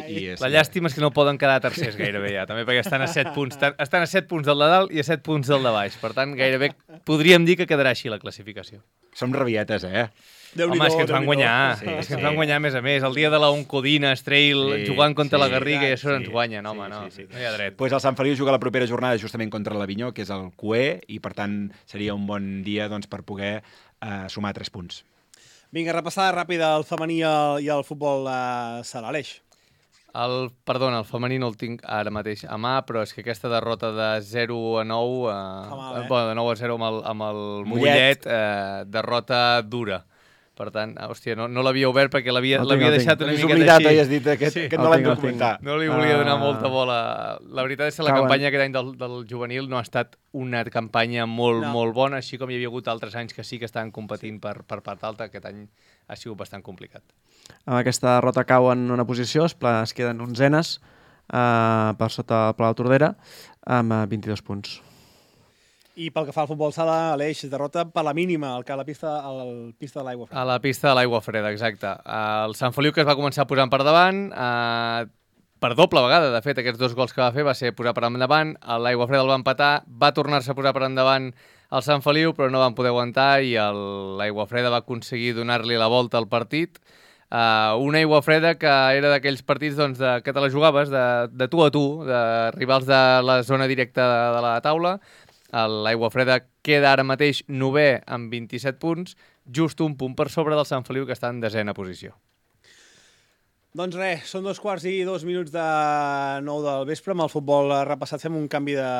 i és... La llàstima és que no poden quedar tercers gairebé ja, també perquè estan a set punts. Estan a set punts del de dalt i a set punts del de baix. Per tant, gairebé podríem dir que quedarà així la classificació. Som rabietes, eh? Home, és que ens van guanyar, sí, és que ens van guanyar a més a més. El dia de la Oncodina, Estrail, sí, jugant contra sí, la Garriga i això sí, ens guanyen, home, sí, no, sí, sí. No hi ha dret. Pues el Sant Feliu juga la propera jornada justament contra l'Avinyó, que és el Cué, i per tant seria un bon dia doncs, per poder eh, sumar tres punts. Vinga, repassada ràpida el femení i el futbol eh, sala. Aleix. El, perdona, el femení no el tinc ara mateix a mà, però és que aquesta derrota de zero a nou, eh, mal, eh? bueno, de nou a zero amb el, amb el Mollet, eh, derrota dura. Per tant, hòstia, no, no l'havia obert perquè l'havia no deixat una miqueta oblidat, així. Has dit aquest, sí. que no l'hem de comentar. No li volia donar uh... molta bola. La veritat és que la Cauen. campanya aquest any del, del juvenil no ha estat una campanya molt, no. molt bona, així com hi havia hagut altres anys que sí que estaven competint sí. per, per part alta. Aquest any ha sigut bastant complicat. Amb aquesta derrota cauen una posició, es, es queden onzenes uh, per sota el Palau Tordera amb uh, vint-i-dos punts. I pel que fa al futbol sala, Aleix, derrota per la mínima al que a la pista, a la pista de l'Aigua Freda. A la pista de l'Aigua Freda, exacte. El Sant Feliu, que es va començar posant per davant, eh, per doble vegada, de fet, aquests dos gols que va fer va ser posar per endavant, l'Aigua Freda el va empatar, va tornar-se a posar per endavant el Sant Feliu, però no van poder aguantar i l'Aigua Freda va aconseguir donar-li la volta al partit. Uh, una Aigua Freda que era d'aquells partits doncs, de, que te la jugaves de, de tu a tu, de rivals de la zona directa de, de la taula. L'Aigua Freda queda ara mateix novè amb vint-i-set punts, just un punt per sobre del Sant Feliu, que està en desena posició. Doncs res, són dos quarts i dos minuts de nou del vespre. Amb el futbol repassat fem un canvi de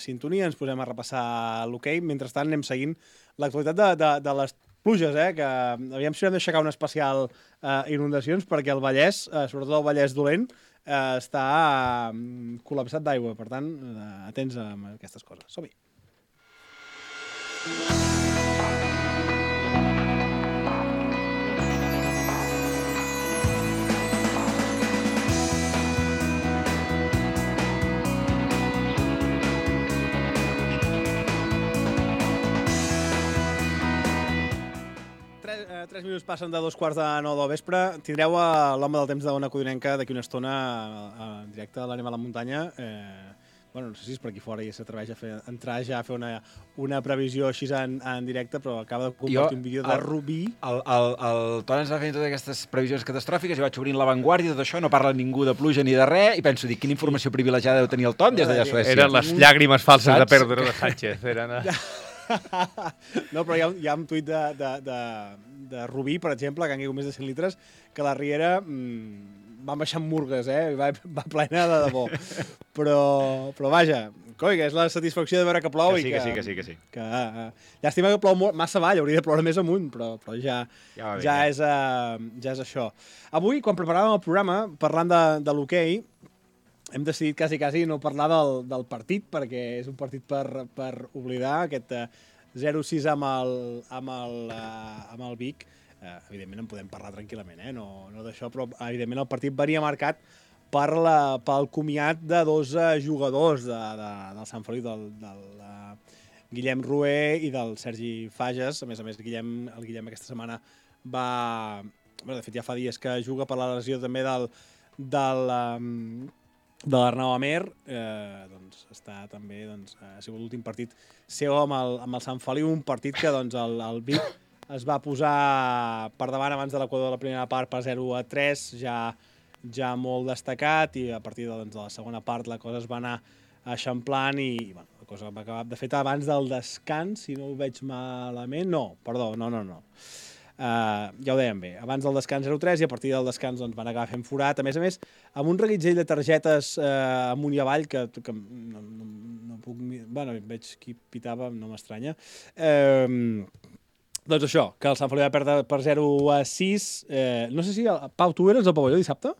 sintonia, ens posem a repassar l'hoquei. Mentrestant anem seguint l'actualitat de, de, de les pluges, eh? Que aviam si hem d'aixecar un especial eh, inundacions, perquè el Vallès, eh, sobretot el Vallès dolent, eh, està eh, col·lapsat d'aigua. Per tant, eh, atents a aquestes coses. Som-hi. Tres, eh, tres minuts passen de dos quarts de nou del vespre. Tindreu a l'home del temps d'Ona Codinenca d'aquí una estona en directe a l'Anem a la muntanya. Eh, bueno, no sé si és per aquí fora i s'atreveix a fer, entrar ja a fer una, una previsió així en, en directe, però acaba de compartir jo, un vídeo de el, Rubí. El, el, el Ton ens va fent totes aquestes previsions catastròfiques, jo vaig obrint l'avantguàrdia, tot això, no parla ningú de pluja ni de res, i penso, dic, quina informació privilegiada deu tenir el Ton des d'allà a Suècia. Eren les llàgrimes falses Saps? de Pedro de Sánchez. Eren... No, però hi ha, hi ha un tuit de, de, de, de Rubí, per exemple, que han caigut més de cent litres, que la riera mmm, va baixar amb murgues, eh? Va, va plena de debò. Però, però vaja, coi, que és la satisfacció de veure que plou que sí, i que... Que sí, que sí, que sí. Que, uh, llàstima que plou molt, massa avall, hauria de ploure més amunt, però, però ja, ja, bé, ja, ja. És, uh, ja és això. Avui, quan preparàvem el programa, parlant de, de l'hoquei, hem decidit quasi, quasi no parlar del, del partit, perquè és un partit per, per oblidar, aquest uh, zero sis amb el, amb el, uh, amb el Vic. Uh, evidentment en podem parlar tranquil·lament, eh? no, no d'això, però evidentment el partit venia marcat per la, pel comiat de dos uh, jugadors de, de, del Sant Feliu, del, del uh, Guillem Rué i del Sergi Fages. A més a més, Guillem, el Guillem aquesta setmana va... Bé, de fet, ja fa dies que juga per la lesió també del, del, um, de l'Arnau Amer. Eh, doncs està també, doncs, ha sigut l'últim partit seu amb el, amb el Sant Feliu, un partit que doncs, el, el Vic es va posar per davant abans de l'Equador de la primera part per zero a tres, ja, ja molt destacat, i a partir de, doncs, de la segona part la cosa es va anar eixamplant i, i bueno, la cosa va acabar, de fet, abans del descans, si no ho veig malament, no, perdó, no, no, no. Uh, ja ho dèiem bé, abans del descans zero a tres i a partir del descans doncs, van acabar fent forat, a més a més, amb un reguitzell de targetes uh, amunt i avall que, que no, no, no puc... Bueno, veig qui pitava, no m'estranya. Uh, doncs això, que el Sant Feliu va perdre per zero a sis. Uh, no sé si... El, Pau, tu eres al pavelló dissabte?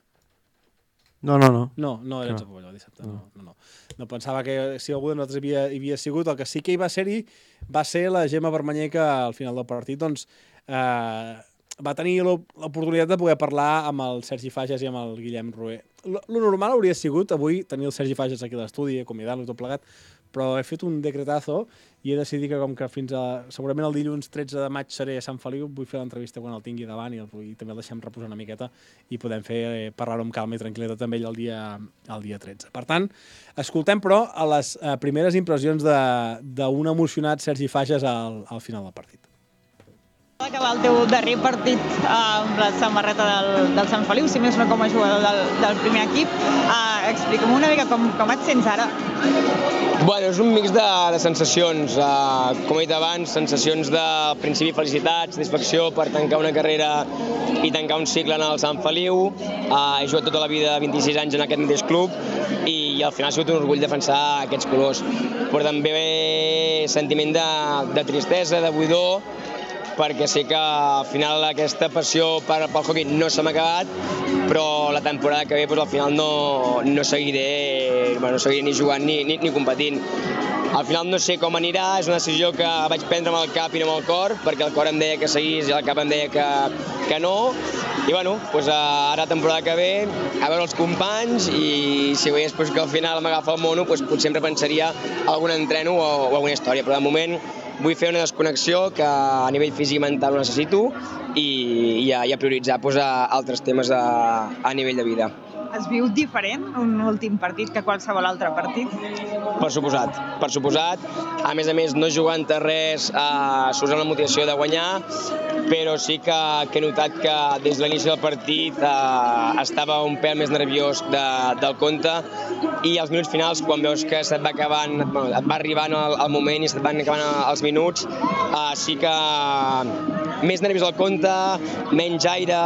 No, no, no. No, no eres al pavelló dissabte, no. No, no. No pensava que si algú de nosaltres havia, havia sigut. El que sí que hi va ser-hi va ser la Gemma Vermanyer, que al final del partit doncs, eh, va tenir l'oportunitat de poder parlar amb el Sergi Fages i amb el Guillem Rué. Lo normal hauria sigut avui tenir el Sergi Fages aquí a l'estudi, acomiadant-lo tot plegat, però he fet un decretazo i he decidit que com que fins a... segurament el dilluns tretze de maig seré a Sant Feliu, vull fer l'entrevista quan el tingui davant i, el, i també el deixem reposar una miqueta i podem fer eh, parlar-ho amb calma i tranquil·litat amb ell el dia, el dia tretze. Per tant, escoltem però a les eh, primeres impressions d'un emocionat Sergi Fages al, al final del partit. Acabar el teu darrer partit eh, amb la samarreta del, del Sant Feliu, si més no com a jugador del, del primer equip. Eh, Explica'm una mica com, com et sents ara. Bueno, és un mix de, de sensacions. Uh, com he dit abans, sensacions de principi felicitat, satisfacció per tancar una carrera i tancar un cicle en el Sant Feliu. Uh, he jugat tota la vida, vint-i-sis anys en aquest mateix club, i, i al final ha sigut un orgull defensar aquests colors. Però també sentiment de, de tristesa, de buidor, perquè sé que al final aquesta passió per, pel hockey no se m'ha acabat, però la temporada que ve doncs, al final no, no, seguiré, bueno, no seguiré ni jugant ni, ni, ni competint. Al final no sé com anirà, és una decisió que vaig prendre amb el cap i no amb el cor, perquè el cor em deia que seguís i el cap em deia que, que no. I bueno, doncs ara la temporada que ve, a veure els companys, i si veiés doncs, que al final m'agafa el mono, doncs potser em repensaria algun entreno o, o alguna història, però de moment vull fer una desconnexió que a nivell físic i mental ho necessito i, i, a, i a prioritzar doncs, a altres temes a, a nivell de vida. Has viu diferent un últim partit que qualsevol altre partit? Per suposat, per suposat. A més a més, no jugant a res, eh, surts amb la motivació de guanyar, però sí que, que he notat que des de l'inici del partit eh, estava un pèl més nerviós de, del compte, i als minuts finals, quan veus que se't va acabant, bueno, et va arribant el, el moment i se't van acabant els minuts, eh, sí que més nerviós al compte, menys aire,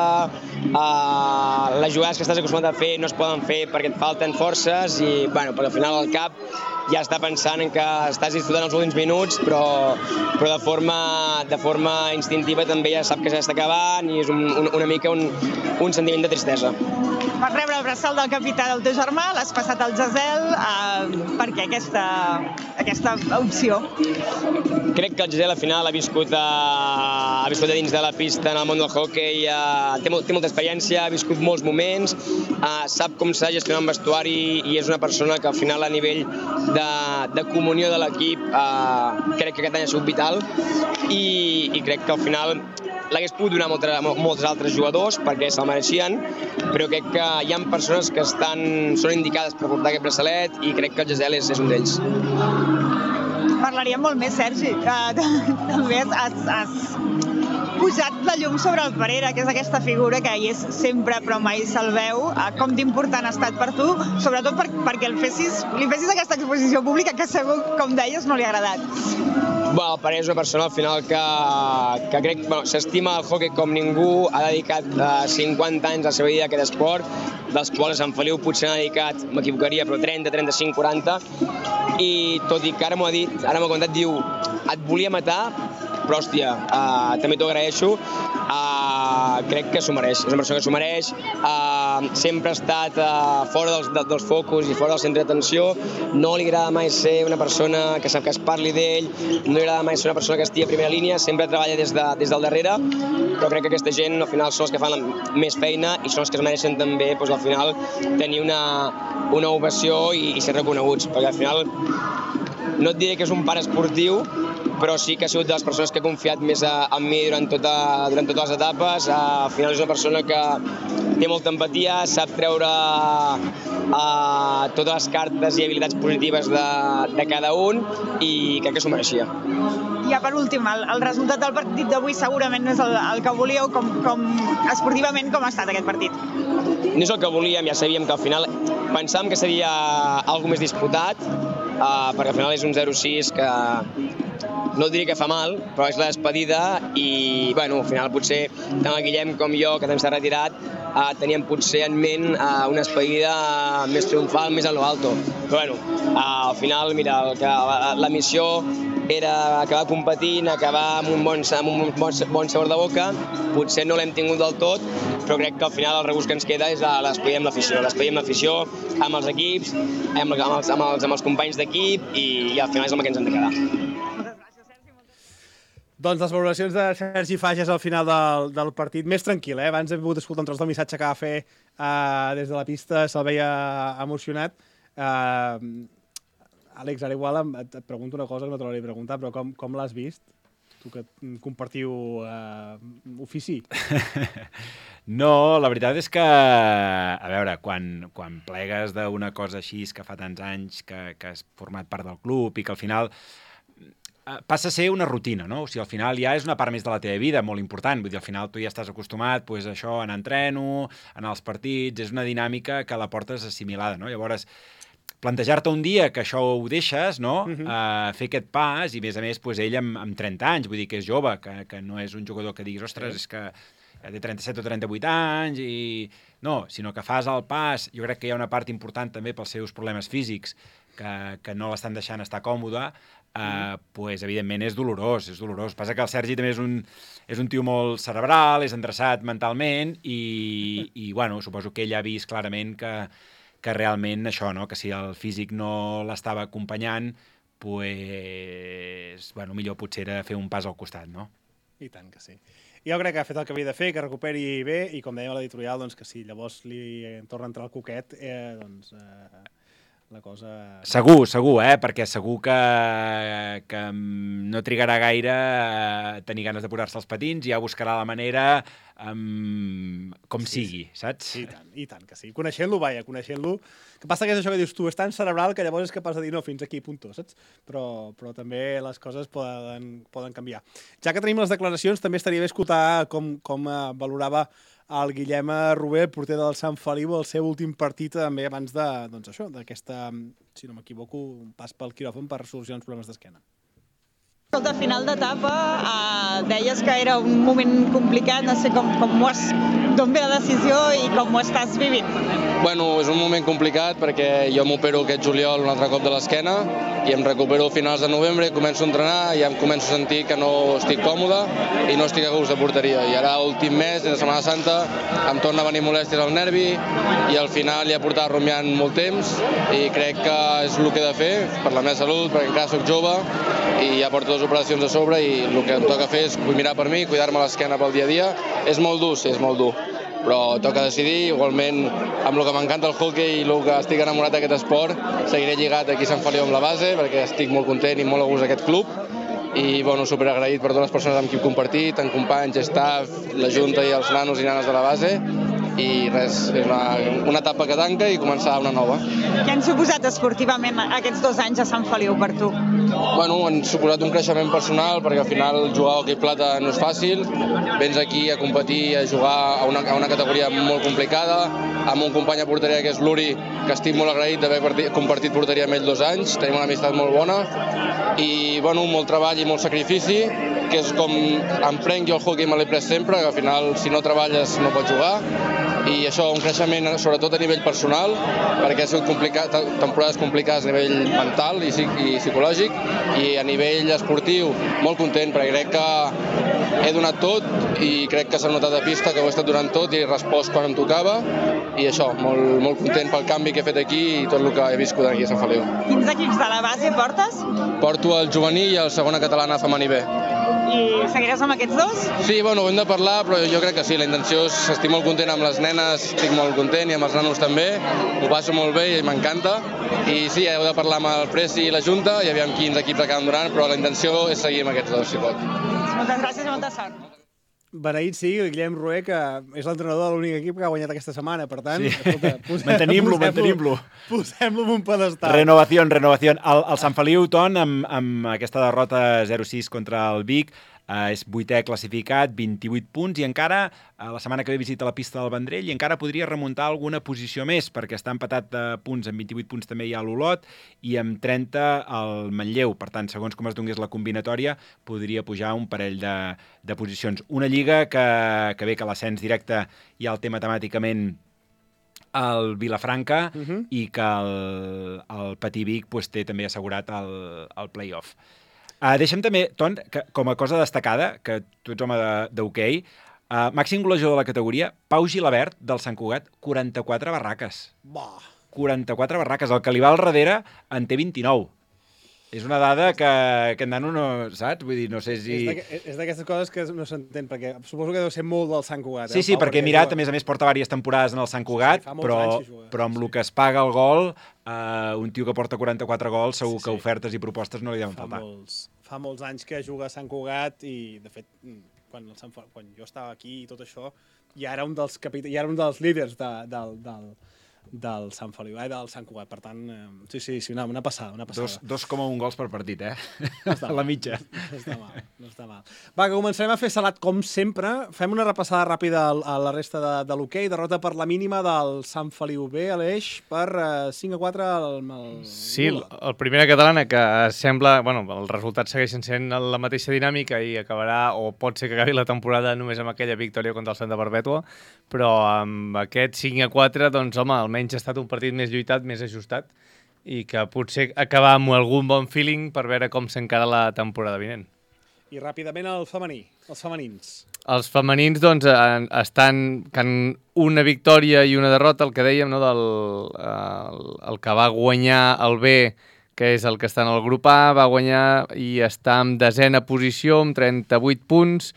eh, les jugades que estàs acostumat a fer no es poden fer perquè et falten forces i, bueno, perquè al final el cap ja està pensant en que estàs disfrutant els últims minuts, però, però de, forma, de forma instintiva també ja sap que ja està acabant i és un, un, una mica un, un sentiment de tristesa. Vas rebre el braçal del capità del teu germà, l'has passat al Gisel, eh, per què aquesta, aquesta opció? Crec que el Gisel al final ha viscut, a, ha viscut a dins de la pista en el món del hockey, uh, té, molt, té molta experiència, ha viscut molts moments, uh, sap com s'ha de gestionar un vestuari i és una persona que al final a nivell de, de comunió de l'equip uh, crec que aquest any ha sigut vital i, i crec que al final l'hagués pogut donar moltes, molts altres jugadors perquè se'l mereixien, però crec que hi ha persones que estan, són indicades per portar aquest braçalet i crec que el Gisel és, és un d'ells. Parlaríem molt més, Sergi. Uh, també has, has, has posat la llum sobre el Parera, que és aquesta figura que hi és sempre però mai se'l veu. Uh, com d'important ha estat per tu, sobretot per, perquè el fessis, li fessis aquesta exposició pública que segur, com deies, no li ha agradat. Bueno, el Parera és una persona al final que, que crec bueno, s'estima el hockey com ningú, ha dedicat uh, cinquanta anys a la seva vida a aquest esport, dels quals Sant Feliu potser n'ha dedicat, m'equivocaria, però trenta, trenta-cinc, quaranta, i tot i que ara m'ho ha dit, ara m'ho ha contat, diu, et volia matar, però hòstia, uh, també t'ho agraeixo, uh, crec que s'ho mereix, és una persona que s'ho mereix, uh, sempre ha estat uh, fora dels, de, dels focus i fora del centre d'atenció, no li agrada mai ser una persona que sap que es parli d'ell, no li agrada mai ser una persona que estigui a primera línia, sempre treballa des, de, des del darrere, però crec que aquesta gent al final són els que fan la, més feina i són els que es mereixen també doncs, al final tenir una, una ovació i, i ser reconeguts, perquè al final no et diré que és un pare esportiu, però sí que ha sigut de les persones que ha confiat més en mi durant, tota, durant totes les etapes. Al final és una persona que té molta empatia, sap treure uh, totes les cartes i habilitats positives de, de cada un i crec que s'ho mereixia. Ja per últim, el, el resultat del partit d'avui segurament no és el, el que volíeu, com, com esportivament com ha estat aquest partit? No és el que volíem, ja sabíem que al final pensàvem que seria algo més disputat, uh, perquè al final és un zero sis que no et diria que fa mal, però és la despedida i, bueno, al final potser tant el Guillem com jo, que també s'ha retirat, uh, teníem potser en ment uh, una despedida més triomfal, més a lo alto. Però, bueno, uh, al final, mira, el que, la, la missió era acabar competint, acabar amb un bon, amb un bon, bon sabor de boca. Potser no l'hem tingut del tot, però crec que al final el regust que ens queda és l'espedir amb l'afició. L'espedir amb l'afició, amb els equips, amb els, amb els, amb els, amb els companys d'equip i, i al final és el que ens hem de quedar. Doncs les valoracions de Sergi Fages al final del, del partit, més tranquil, eh? Abans hem pogut escoltar un tros del missatge que va fer uh, des de la pista, se'l veia emocionat. Uh, Àlex, ara igual et, et pregunto una cosa que no te l'hauria de preguntar, però com, com l'has vist? Tu que compartiu uh, ofici. No, la veritat és que, a veure, quan, quan plegues d'una cosa així que fa tants anys que, que has format part del club i que al final passa a ser una rutina, no? O sigui, al final ja és una part més de la teva vida, molt important. Vull dir, al final tu ja estàs acostumat, pues, a això, a anar a entreno, a anar als partits, és una dinàmica que la portes assimilada, no? Llavors, plantejar-te un dia que això ho deixes, no? Uh-huh. uh, fer aquest pas, i a més a més, pues, ell amb, amb trenta anys, vull dir que és jove, que, que no és un jugador que diguis, ostres, és que ja té trenta-set o trenta-vuit anys, i no, sinó que fas el pas. Jo crec que hi ha una part important també pels seus problemes físics, que, que no l'estan deixant estar còmode, Uh, pues, evidentment és dolorós, és dolorós. Passa que el Sergi també és un, és un tio molt cerebral, és endreçat mentalment i, i bueno, suposo que ell ha vist clarament que, que realment això, no? Que si el físic no l'estava acompanyant, pues, bueno, millor potser era fer un pas al costat, no? I tant que sí. Jo crec que ha fet el que havia de fer, que recuperi bé, i com dèiem a l'editorial, doncs que si llavors li torna a entrar el coquet, eh, doncs... Eh... la cosa... Segur, segur, eh? Perquè segur que, que no trigarà gaire a tenir ganes de posar-se els patins, ja buscarà la manera um, com sí, sigui, saps? I tant, i tant que sí. Coneixent-lo, vaja, coneixent-lo. Que passa que és això que dius tu, és tan cerebral que llavors és capaç de dir no, fins aquí, punto, saps? Però, però també les coses poden, poden canviar. Ja que tenim les declaracions, també estaria bé escoltar com, com valorava el Guillem Rober, el porter del Sant Feliu, el seu últim partit també abans de, doncs això, d'aquesta, si no m'equivoco, un pas pel quiròfan per solucionar uns problemes d'esquena. Escolta, a final d'etapa eh, deies que era un moment complicat, no sé com, com ho has, d'on ve la decisió i com ho estàs vivint? Bueno, és un moment complicat perquè jo m'opero aquest juliol un altre cop de l'esquena i em recupero a finals de novembre, començo a entrenar i ja em començo a sentir que no estic còmode i no estic a gust de porteria. I ara, últim mes, de Setmana Santa, em torna a venir molèsties al nervi i al final ja portava rumiant molt temps i crec que és el que he de fer per la meva salut, perquè encara soc jove i ja porto dues operacions a sobre i el que em toca fer és mirar per mi, cuidar-me l'esquena pel dia a dia. És molt dur, sí, és molt dur, però toca decidir. Igualment, amb el que m'encanta el hockey i el que estic enamorat d'aquest esport, seguiré lligat aquí a Sant Feliu amb la base, perquè estic molt content i molt a gust d'aquest club. I, bueno, superagraït per totes les persones amb qui he compartit, tant companys, staff, la junta i els nanos i nanes de la base. I res, és una, una etapa que tanca i començar una nova. Què han suposat esportivament aquests dos anys a Sant Feliu per tu? Bueno, han suposat un creixement personal, perquè al final jugar a hoquei plata no és fàcil. Vens aquí a competir, a jugar a una, a una categoria molt complicada, amb un company a porteria que és l'Uri, que estic molt agraït d'haver compartit porteria amb ell dos anys, tenim una amistat molt bona, i bueno, molt treball i molt sacrifici, que és com em prenc jo el hoquei, me l'he pres sempre, que al final si no treballes no pots jugar, i això, un creixement sobretot a nivell personal, perquè ha sigut complicat, temporades complicades a nivell mental i, i psicològic, i a nivell esportiu molt content, perquè crec que he donat tot i crec que s'ha notat a pista que ho he estat donant tot i he respost quan em tocava, i això, molt, molt content pel canvi que he fet aquí i tot el que he viscut aquí a Sant Feliu. Quins equips de la base portes? Porto el juvenil i el segona catalana femení B. I seguiràs amb aquests dos? Sí, bueno, ho hem de parlar, però jo crec que sí, la intenció és... Estic molt content amb les nenes, estic molt content, i amb els nanos també, ho passo molt bé i m'encanta. I sí, heu de parlar amb el Presi i la Junta, i aviam quins equips acaben donant, però la intenció és seguir amb aquests dos, si pot. Moltes gràcies i molta sort. Beneït sigui el Guillem Rué, que és l'entrenador de l'únic equip que ha guanyat aquesta setmana. Per tant, sí. escolta, posem, mantenim-lo, posem mantenim-lo. Posem-lo en un pedestal. Renovació, renovació. El, el Sant Feliu, Ton, amb, amb aquesta derrota zero sis contra el Vic, eh, és vuitè classificat, vint-i-vuit punts, i encara eh, la setmana que ve visita la pista del Vendrell, i encara podria remuntar alguna posició més, perquè està empatat de punts, amb vint-i-vuit punts també hi ha l'Olot, i amb trenta el Manlleu. Per tant, segons com es donés la combinatòria, podria pujar un parell de, de posicions. Una lliga que, que bé que l'ascens directe ja el té matemàticament el Vilafranca, uh -huh. i que el, el Patí Vic pues, té també assegurat el, el play-off. Uh, deixa'm també, Ton, que, com a cosa destacada, que tu ets home d'hoquei, uh, màxim golejador de la categoria, Pau Gilabert, del Sant Cugat, quaranta-quatre barraques. Bah. quaranta-quatre barraques. El que li va al darrere en té vint-i-nou. És una dada que aquest nano no, saps? Vull dir, no sé si... És d'aquestes coses que no s'entén, perquè suposo que deu ser molt del Sant Cugat. Sí, sí, perquè he mirat, a més a més porta diverses temporades en el Sant Cugat, però, però amb el que es paga el gol, uh, un tio que porta quaranta-quatre gols, segur que ofertes i propostes no li deuen faltar. Fa molts anys que juga a Sant Cugat i, de fet, quan, el Sant, quan jo estava aquí i tot això, ja era un dels, capit... ja era un dels líders de, del, del, del Sant Feliu, eh, del Sant Cugat. Per tant, eh, sí, sí, sí, una, una passada, una passada. dos coma un gols per partit, eh? No a la mitja. No està mal, no està mal. Va, que començarem a fer salat com sempre. Fem una repassada ràpida a la resta de, de l'hoquei. Derrota per la mínima del Sant Feliu B, Aleix, per eh, cinc a quatre al... al... Sí, el, el primera catalana, que sembla... Bueno, els resultats segueixen sent la mateixa dinàmica i acabarà, o pot ser que acabi la temporada només amb aquella victòria contra el Santa Perpètua, però amb aquest cinc a quatre, doncs, home, almenys ha estat un partit més lluitat, més ajustat, i que potser acabar amb algun bon feeling per veure com s'encara la temporada vinent. I ràpidament el femení, els femenins. Els femenins, doncs, estan en una victòria i una derrota, el que dèiem, no, del, el, el que va guanyar el B, que és el que està en el grup A, va guanyar i està en desena posició, amb trenta-vuit punts,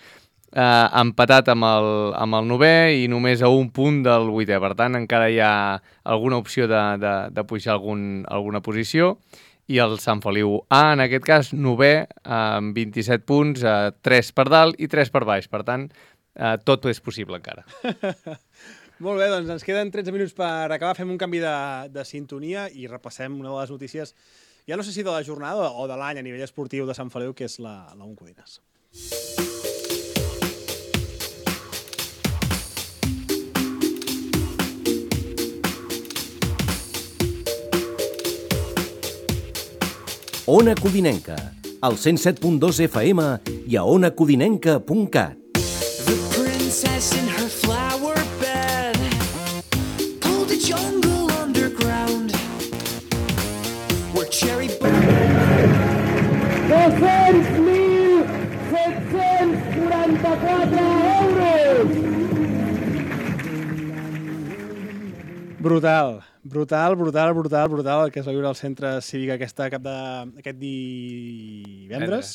eh, empatat amb el, amb el novè i només a un punt del vuitè. Per tant, encara hi ha alguna opció de, de, de pujar algun, alguna posició. I el Sant Feliu A, en aquest cas, novè, amb vint-i-set punts, eh, tres per dalt i tres per baix. Per tant, eh, tot és possible encara. Molt bé, doncs ens queden tretze minuts per acabar. Fem un canvi de, de sintonia i repassem una de les notícies, ja no sé si de la jornada o de l'any a nivell esportiu de Sant Feliu, que és la, la Uncodines. Ona Codinenca, al cent set punt dos F M i a ona codinenca punt cat. The princess in her flower bed pulled a jungle underground where cherry dos-cents mil set-cents quaranta-quatre euros! Brutal, brutal, brutal, brutal, brutal el que es va viure al centre cívic aquesta cap de, aquest divendres.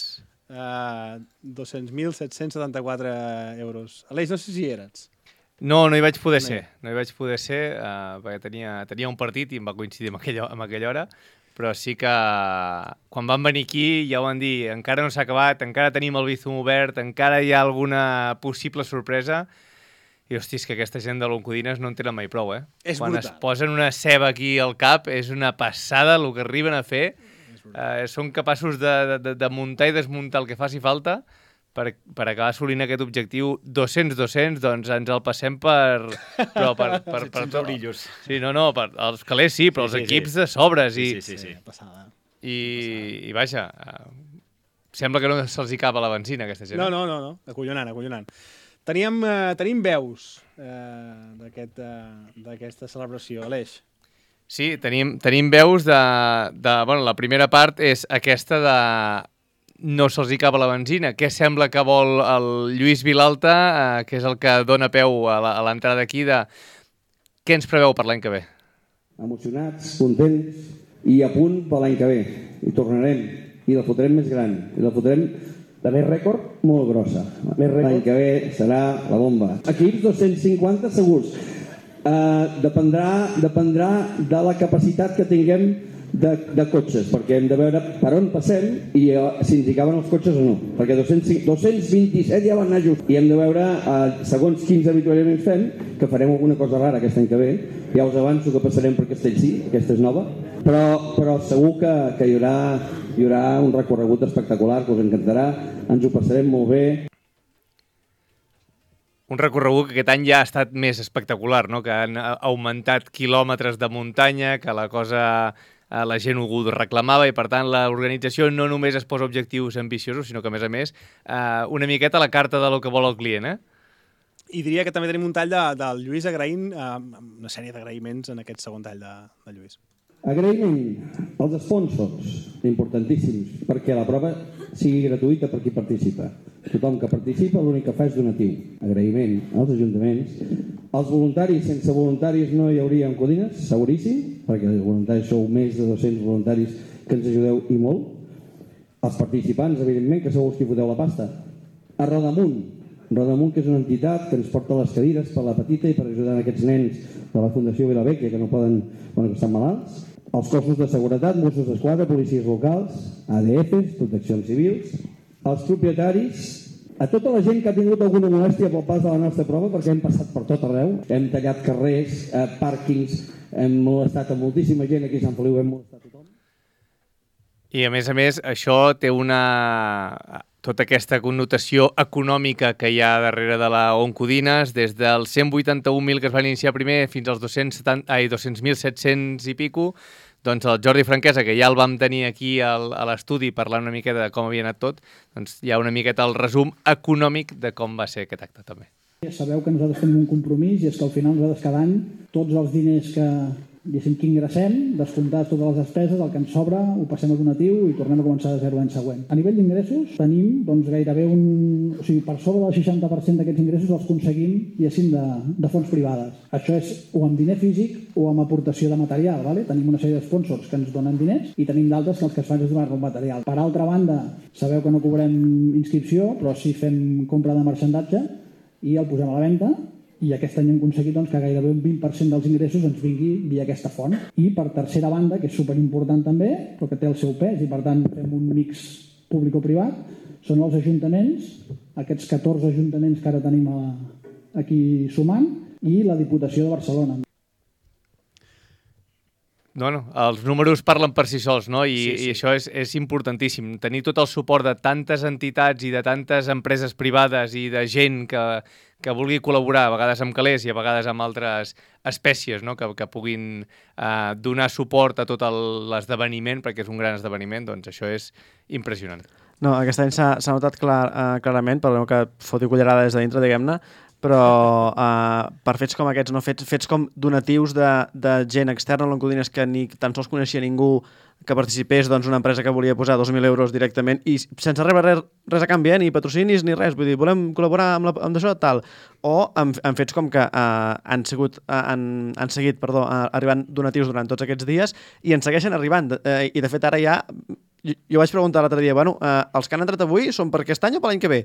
Uh, dos-cents mil set-cents setanta-quatre euros. Aleix, no sé si hi eres. No, no hi vaig poder ser. No hi vaig poder ser uh, perquè tenia, tenia un partit i em va coincidir amb aquella, amb aquella hora, però sí que quan van venir aquí ja ho van dir, encara no s'ha acabat, encara tenim el Bizum obert, encara hi ha alguna possible sorpresa. I, hosti, és que aquesta gent de l'Oncodines no en tenen mai prou, eh? És Quan brutal. es posen una ceba aquí al cap, és una passada el que arriben a fer. Eh, són capaços de, de, de muntar i desmuntar el que faci falta per, per acabar assolint aquest objectiu dos-cents dos-cents, doncs ens el passem per... Però per, per, per, per brillos. Sí, no, no, per, els calés sí, però Sí, els sí, equips sí. de sobres. Sí, I, sí, sí, sí. Passada. I, i vaja, eh, sembla que no se'ls hi acaba la benzina, aquesta gent. No, no, no, no. Acollonant, acollonant. Teníem, eh, tenim veus eh, d'aquesta aquest, uh, celebració, Aleix. Sí, tenim, tenim veus de, de... Bueno, la primera part és aquesta de no se'ls hi acaba la benzina. Què sembla que vol el Lluís Vilalta, eh, que és el que dona peu a l'entrada aquí, de què ens preveu per l'any que ve? Emocionats, contents i a punt per l'any que ve. I tornarem. I la fotrem més gran. I la fotrem de més rècord, molt grossa. L'any que ve serà la bomba. Equips dos-cents cinquanta segurs. Uh, dependrà, dependrà de la capacitat que tinguem de, de cotxes, perquè hem de veure per on passem i uh, si ens hi caben els cotxes o no, perquè dos-cents vint-i-set ja van anar just i hem de veure, uh, segons quins avituallaments fem, que farem alguna cosa rara aquest any que ve. Ja us avanço que passarem per Castellcí, aquesta és nova, però, però segur que, que hi, haurà, hi haurà un recorregut espectacular que us encantarà, ens ho passarem molt bé. Un recorregut que aquest any ja ha estat més espectacular, no? Que han augmentat quilòmetres de muntanya, que la cosa eh, la gent ho reclamava i, per tant, l'organització no només es posa objectius ambiciosos, sinó que, a més a més, eh, una miqueta la carta de lo que vol el client, eh? I diria que també tenim un tall de, del Lluís agraint eh, una sèrie d'agraïments en aquest segon tall de, de Lluís. Agraïment als sponsors, importantíssims, perquè la prova sigui gratuïta per qui participa. Tothom que participa l'únic que fa és donatiu. Agraïment als ajuntaments. Els voluntaris, sense voluntaris no hi hauria Codines, seguríssim, perquè els voluntaris sou més de dos-cents voluntaris que ens ajudeu i molt. Els participants, evidentment, que sou els que foteu la pasta. A Rodamunt, Rodamunt, que és una entitat que ens porta les cadires per la petita i per ajudar aquests nens de la Fundació Vilavecchia que no poden, bueno, que estan malalts. Els cossos de seguretat, Mossos d'Esquadra, policies locals, A D Fs, proteccions civils, els propietaris, a tota la gent que ha tingut alguna molèstia pel pas de la nostra prova, perquè hem passat per tot arreu, hem tallat carrers, eh, pàrquings, hem molestat a moltíssima gent, aquí a Sant Feliu hem molestat a tothom. I, a més a més, això té una... tota aquesta connotació econòmica que hi ha darrere de la Oncodines, des dels cent vuitanta-un mil que es van iniciar primer fins als dos-cents mil set-cents i pico, doncs el Jordi Franquesa, que ja el vam tenir aquí al, a l'estudi parlant una miqueta de com havia anat tot, doncs hi ha una miqueta el resum econòmic de com va ser aquest acte també. Sabeu que nosaltres tenim un compromís i és que al final nosaltres cada any tots els diners que, diguéssim, que ingressem, descomptats totes les despeses, el que ens sobra ho passem a donatiu i tornem a començar de zero l'any següent. A nivell d'ingressos tenim doncs, gairebé un... O sigui, per sobre del seixanta per cent d'aquests ingressos els aconseguim, diguéssim, de, de fonts privades. Això és o amb diner físic o amb aportació de material. Vale? Tenim una sèrie de sponsors que ens donen diners i tenim d'altres que els que es fan és donar-nos material. Per altra banda, sabeu que no cobrem inscripció, però sí fem compra de marxandatge i el posem a la venda. I aquest any hem aconseguit doncs, que gairebé un vint per cent dels ingressos ens vingui via aquesta font. I per tercera banda, que és superimportant també, però que té el seu pes, i per tant fem un mix públic-privat, són els ajuntaments, aquests catorze ajuntaments que ara tenim a, aquí sumant, i la Diputació de Barcelona. No, no, els números parlen per si sols, no? I, sí, sí. i això és, és importantíssim. Tenir tot el suport de tantes entitats i de tantes empreses privades i de gent que, que vulgui col·laborar, a vegades amb calés i a vegades amb altres espècies, no? que, que puguin eh, donar suport a tot l'esdeveniment, perquè és un gran esdeveniment, doncs això és impressionant. No, aquest any s'ha notat clar, uh, clarament, perdoneu que foti cullerada des de dintre, diguem-ne, però uh, per fets com aquests, no? fets, fets com donatius de, de gent externa a l'Oncodines que ni tan sols coneixia ningú que participés, doncs una empresa que volia posar dos mil euros directament i sense rebre res, res a canvi, eh? Ni patrocinis ni res, vull dir, volem col·laborar amb, la, amb això tal, o amb, amb fets com que uh, han, sigut, uh, han, han seguit perdó, uh, arribant donatius durant tots aquests dies i en segueixen arribant, uh, i de fet ara ja jo, jo vaig preguntar l'altre dia, bueno, uh, els que han entrat avui són per aquest any o per l'any que ve?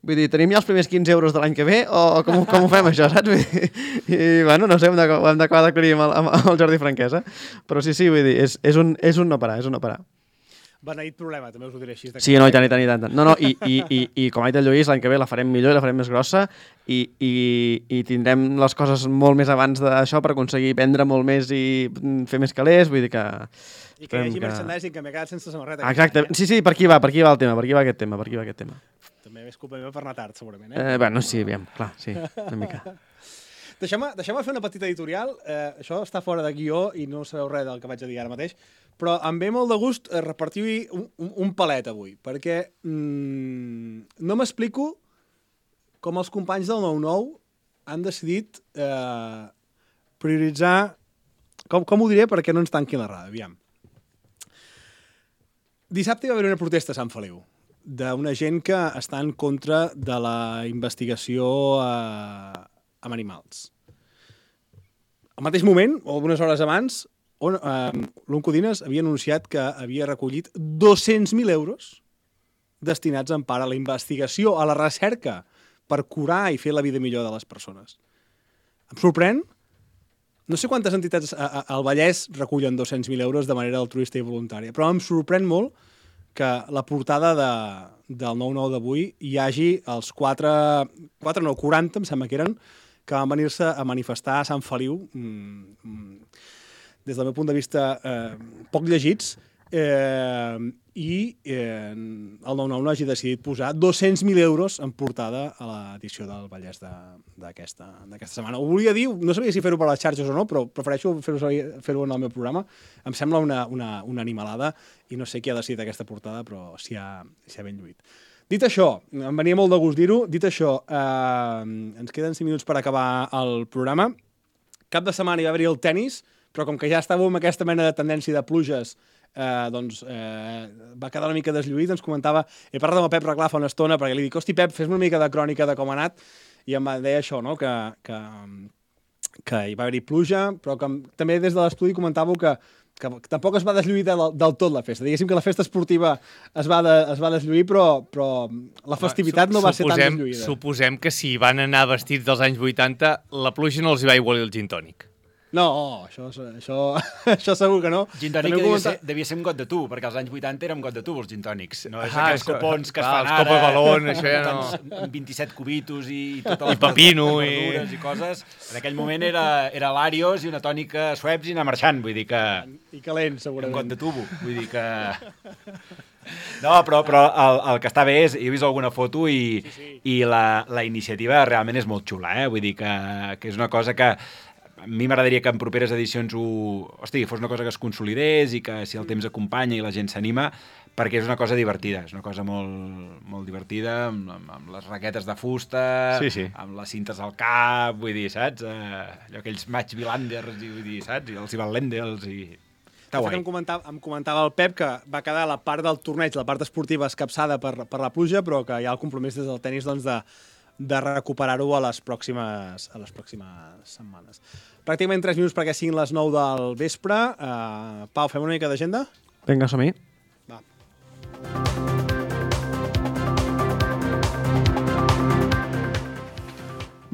Vull dir, tenim ja els primers quinze euros de l'any que ve o com, com ho fem això, saps? I, bueno, no sé, hem d'acabar d'aclarir amb, amb, amb el Jordi Franquesa, però sí, sí, vull dir, és, és, un, és un no parar, és un no parar. Beneït problema, també us ho diré així. Sí, no, i tant, i tant, i tant. No, no, i, i, i, i com ha dit el Lluís, l'any que ve la farem millor i la farem més grossa i, i, i tindrem les coses molt més abans d'això per aconseguir vendre molt més i fer més calés, vull dir que... I que hi hagi que... merchandising, que m'he quedat sense samarreta. Exacte, sí, sí, per aquí va, per aquí va el tema, per aquí va aquest tema, per aquí va aquest tema. També és culpa meva per anar tard, segurament, eh? eh bueno, sí, aviam, clar, sí, una mica. Deixem-me deixem fer una petita editorial. Eh, això està fora de guió i no sabeu res del que vaig a dir ara mateix, però em ve molt de gust repartir un, un, un palet avui, perquè mm, no m'explico com els companys del nou nou han decidit eh, prioritzar... Com, com ho diré perquè no ens tanquin la rada, aviam. Dissabte hi va haver una protesta a Sant Feliu d'una gent que està en contra de la investigació eh, amb animals. Al mateix moment, o algunes hores abans, on, eh, l'Oncodines havia anunciat que havia recollit dos-cents mil euros, destinats en part a la investigació, a la recerca, per curar i fer la vida millor de les persones. Em sorprèn. No sé quantes entitats al Vallès recullen dos-cents mil euros de manera altruista i voluntària, però em sorprèn molt que la portada de, del nou nou d'avui hi hagi els quatre, quatre no, quaranta, em sembla que eren, que van venir-se a manifestar a Sant Feliu, mm, des del meu punt de vista eh, poc llegits, eh, i eh, el nou nou no hagi decidit posar dos-cents mil euros en portada a l'edició del Vallès d'aquesta setmana. Ho volia dir, no sabia si fer-ho per les xarxes o no, però prefereixo fer-ho fer-ho en el meu programa. Em sembla una, una, una animalada i no sé qui ha decidit aquesta portada, però s'hi ha, s'hi ha ben lluït. Dit això, em venia molt de gust dir-ho, dit això, eh, ens queden cinc minuts per acabar el programa. Cap de setmana hi va haver-hi el tennis, però com que ja estàvem amb aquesta mena de tendència de pluges, Eh, doncs eh, va quedar una mica deslluït, ens comentava, he parlat amb el Pep Reclar fa una estona perquè li dic, hosti Pep, fes una mica de crònica de com ha anat, i em va dir això, no? que, que, que hi va haver-hi pluja, però que també des de l'estudi comentàveu que, que tampoc es va deslluir del, del tot la festa. Diguéssim que la festa esportiva es va, de, es va deslluir, però, però la festivitat no va ser tan deslluïda. Suposem que si van anar vestits dels anys vuitanta, la pluja no els hi va igualir el gin tònic. No, això, això, això segur que no. Gin tònic devia, ser, devia ser un got de tu, perquè als anys vuitanta era un got de tu, els gin tònics. No és ah, aquells això, copons que clar, es fan ara, copa balón, això ja no. Amb vint-i-set cubitos i totes les I pepino i... verdures i coses. En aquell moment era, era l'Arios i una tònica Schweppes i anar marxant, vull dir que... I calent, segurament. Un got de tubo, vull dir que... No, però, però el, el que està bé és, he vist alguna foto i, sí, sí. i la, la iniciativa realment és molt xula, eh? Vull dir que, que és una cosa que... A mi m'agradaria que en properes edicions ho... Hosti, fos una cosa que es consolidés i que si el temps acompanya i la gent s'anima, perquè és una cosa divertida, és una cosa molt, molt divertida, amb, amb les raquetes de fusta, sí, sí. amb les cintes al cap, vull dir, saps? Eh, allò, aquells match bilanders, i, vull dir, saps? I els Ivalendels i... Està guai. Em comentava, em comentava el Pep que va quedar la part del torneig, la part esportiva escapçada per, per la pluja, però que hi ha el compromís des del tenis doncs, de de recuperar-ho a les pròximes a les pròximes setmanes. Pràcticament tres minuts perquè siguin les nou del vespre. Uh, Pau, fem una mica d'agenda? Vinga, som-hi. Va.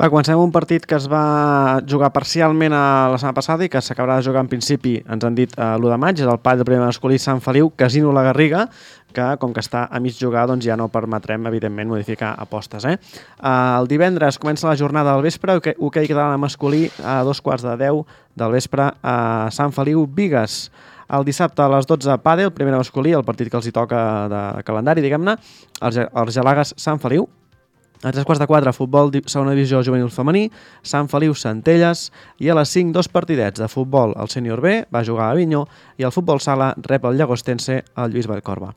Va, comencem un partit que es va jugar parcialment a la setmana passada i que s'acabarà de jugar en principi, ens han dit, a l'u de maig, és el pal del primer masculí Sant Feliu, Casino La Garriga, que com que està a mig jugar doncs ja no permetrem, evidentment, modificar apostes. Eh? El divendres comença la jornada del vespre, hoquei okay, català masculí a dos quarts de deu del vespre a Sant Feliu, Bigues. El dissabte a les dotze, pàdel, primer masculí, el partit que els hi toca de calendari, diguem-ne, els Argelagues Sant Feliu. A tres quarts de quatre, futbol, segona divisió juvenil femení, Sant Feliu, Centelles, i a les cinc, dos partidets de futbol, el sènior B, va jugar a Avinyó, i el futbol sala rep el Llagostense, el Lluís Vallcorba.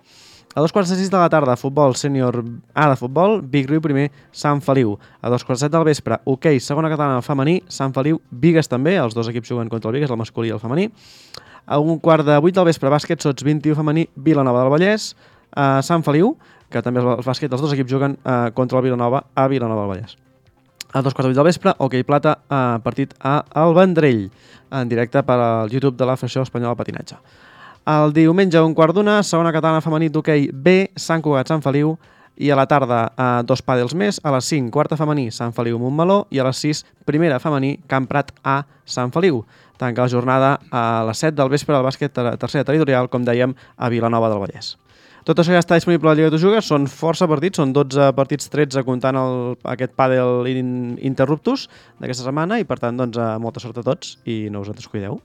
A dos quarts de sis de la tarda, futbol sènior A de futbol, Vic Riu primer, Sant Feliu. A dos quarts de set del vespre, hoquei, segona catalana femení, Sant Feliu, Bigues també, els dos equips juguen contra el Bigues, el masculí i el femení. A un quart de vuit del vespre, bàsquet, sots vint i u femení, Vilanova del Vallès, a Sant Feliu, que també el bàsquet, els dos equips juguen eh, contra el Vilanova a Vilanova del Vallès. A dos quarts de vuit del vespre, hoquei plata, eh, partit a El Vendrell, en directe per al YouTube de la Federació Espanyola de Patinatge. El diumenge, un quart d'una, segona catalana femení d'hoquei B, Sant Cugat, Sant Feliu, i a la tarda eh, dos pàdels més, a les cinc, quarta femení, Sant Feliu, Montmeló, i a les sis, primera femení, Camp Prat A, Sant Feliu. Tanca la jornada a les set del vespre del bàsquet tercera territorial, com dèiem, a Vilanova del Vallès. Tot això ja està disponible a la Lliga de Tu Jugues, són força partits, són dotze partits, tretze comptant el, aquest pàdel in, interruptus d'aquesta setmana i per tant doncs, molta sort a tots i no us en descuideu.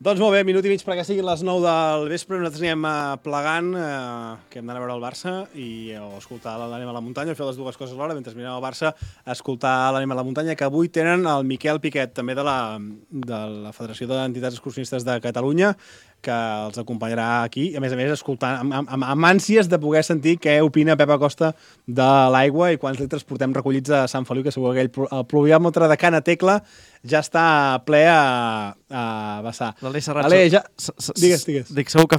Doncs molt bé, minut i mig perquè siguin les nou del vespre, nosaltres anirem plegant, eh, que hem d'anar a veure el Barça i o escoltar l'Anem a la muntanya, o fer les dues coses alhora, mentre mirem el Barça, escoltar l'Anem a la muntanya, que avui tenen el Miquel Piquet, també de la, de la Federació d'Entitats Excursionistes de Catalunya, que els acompanyarà aquí, a més a més escoltant amb, amb, amb ànsies de poder sentir què opina Pep Acosta de l'aigua i quants litres portem recollits a Sant Feliu, que segur que aquell el pluviòmetre de Cana Tecla ja està ple a, a vessar. L'Aleix Serrat... Ale, ja... Digues, digues. Dic, segur que farà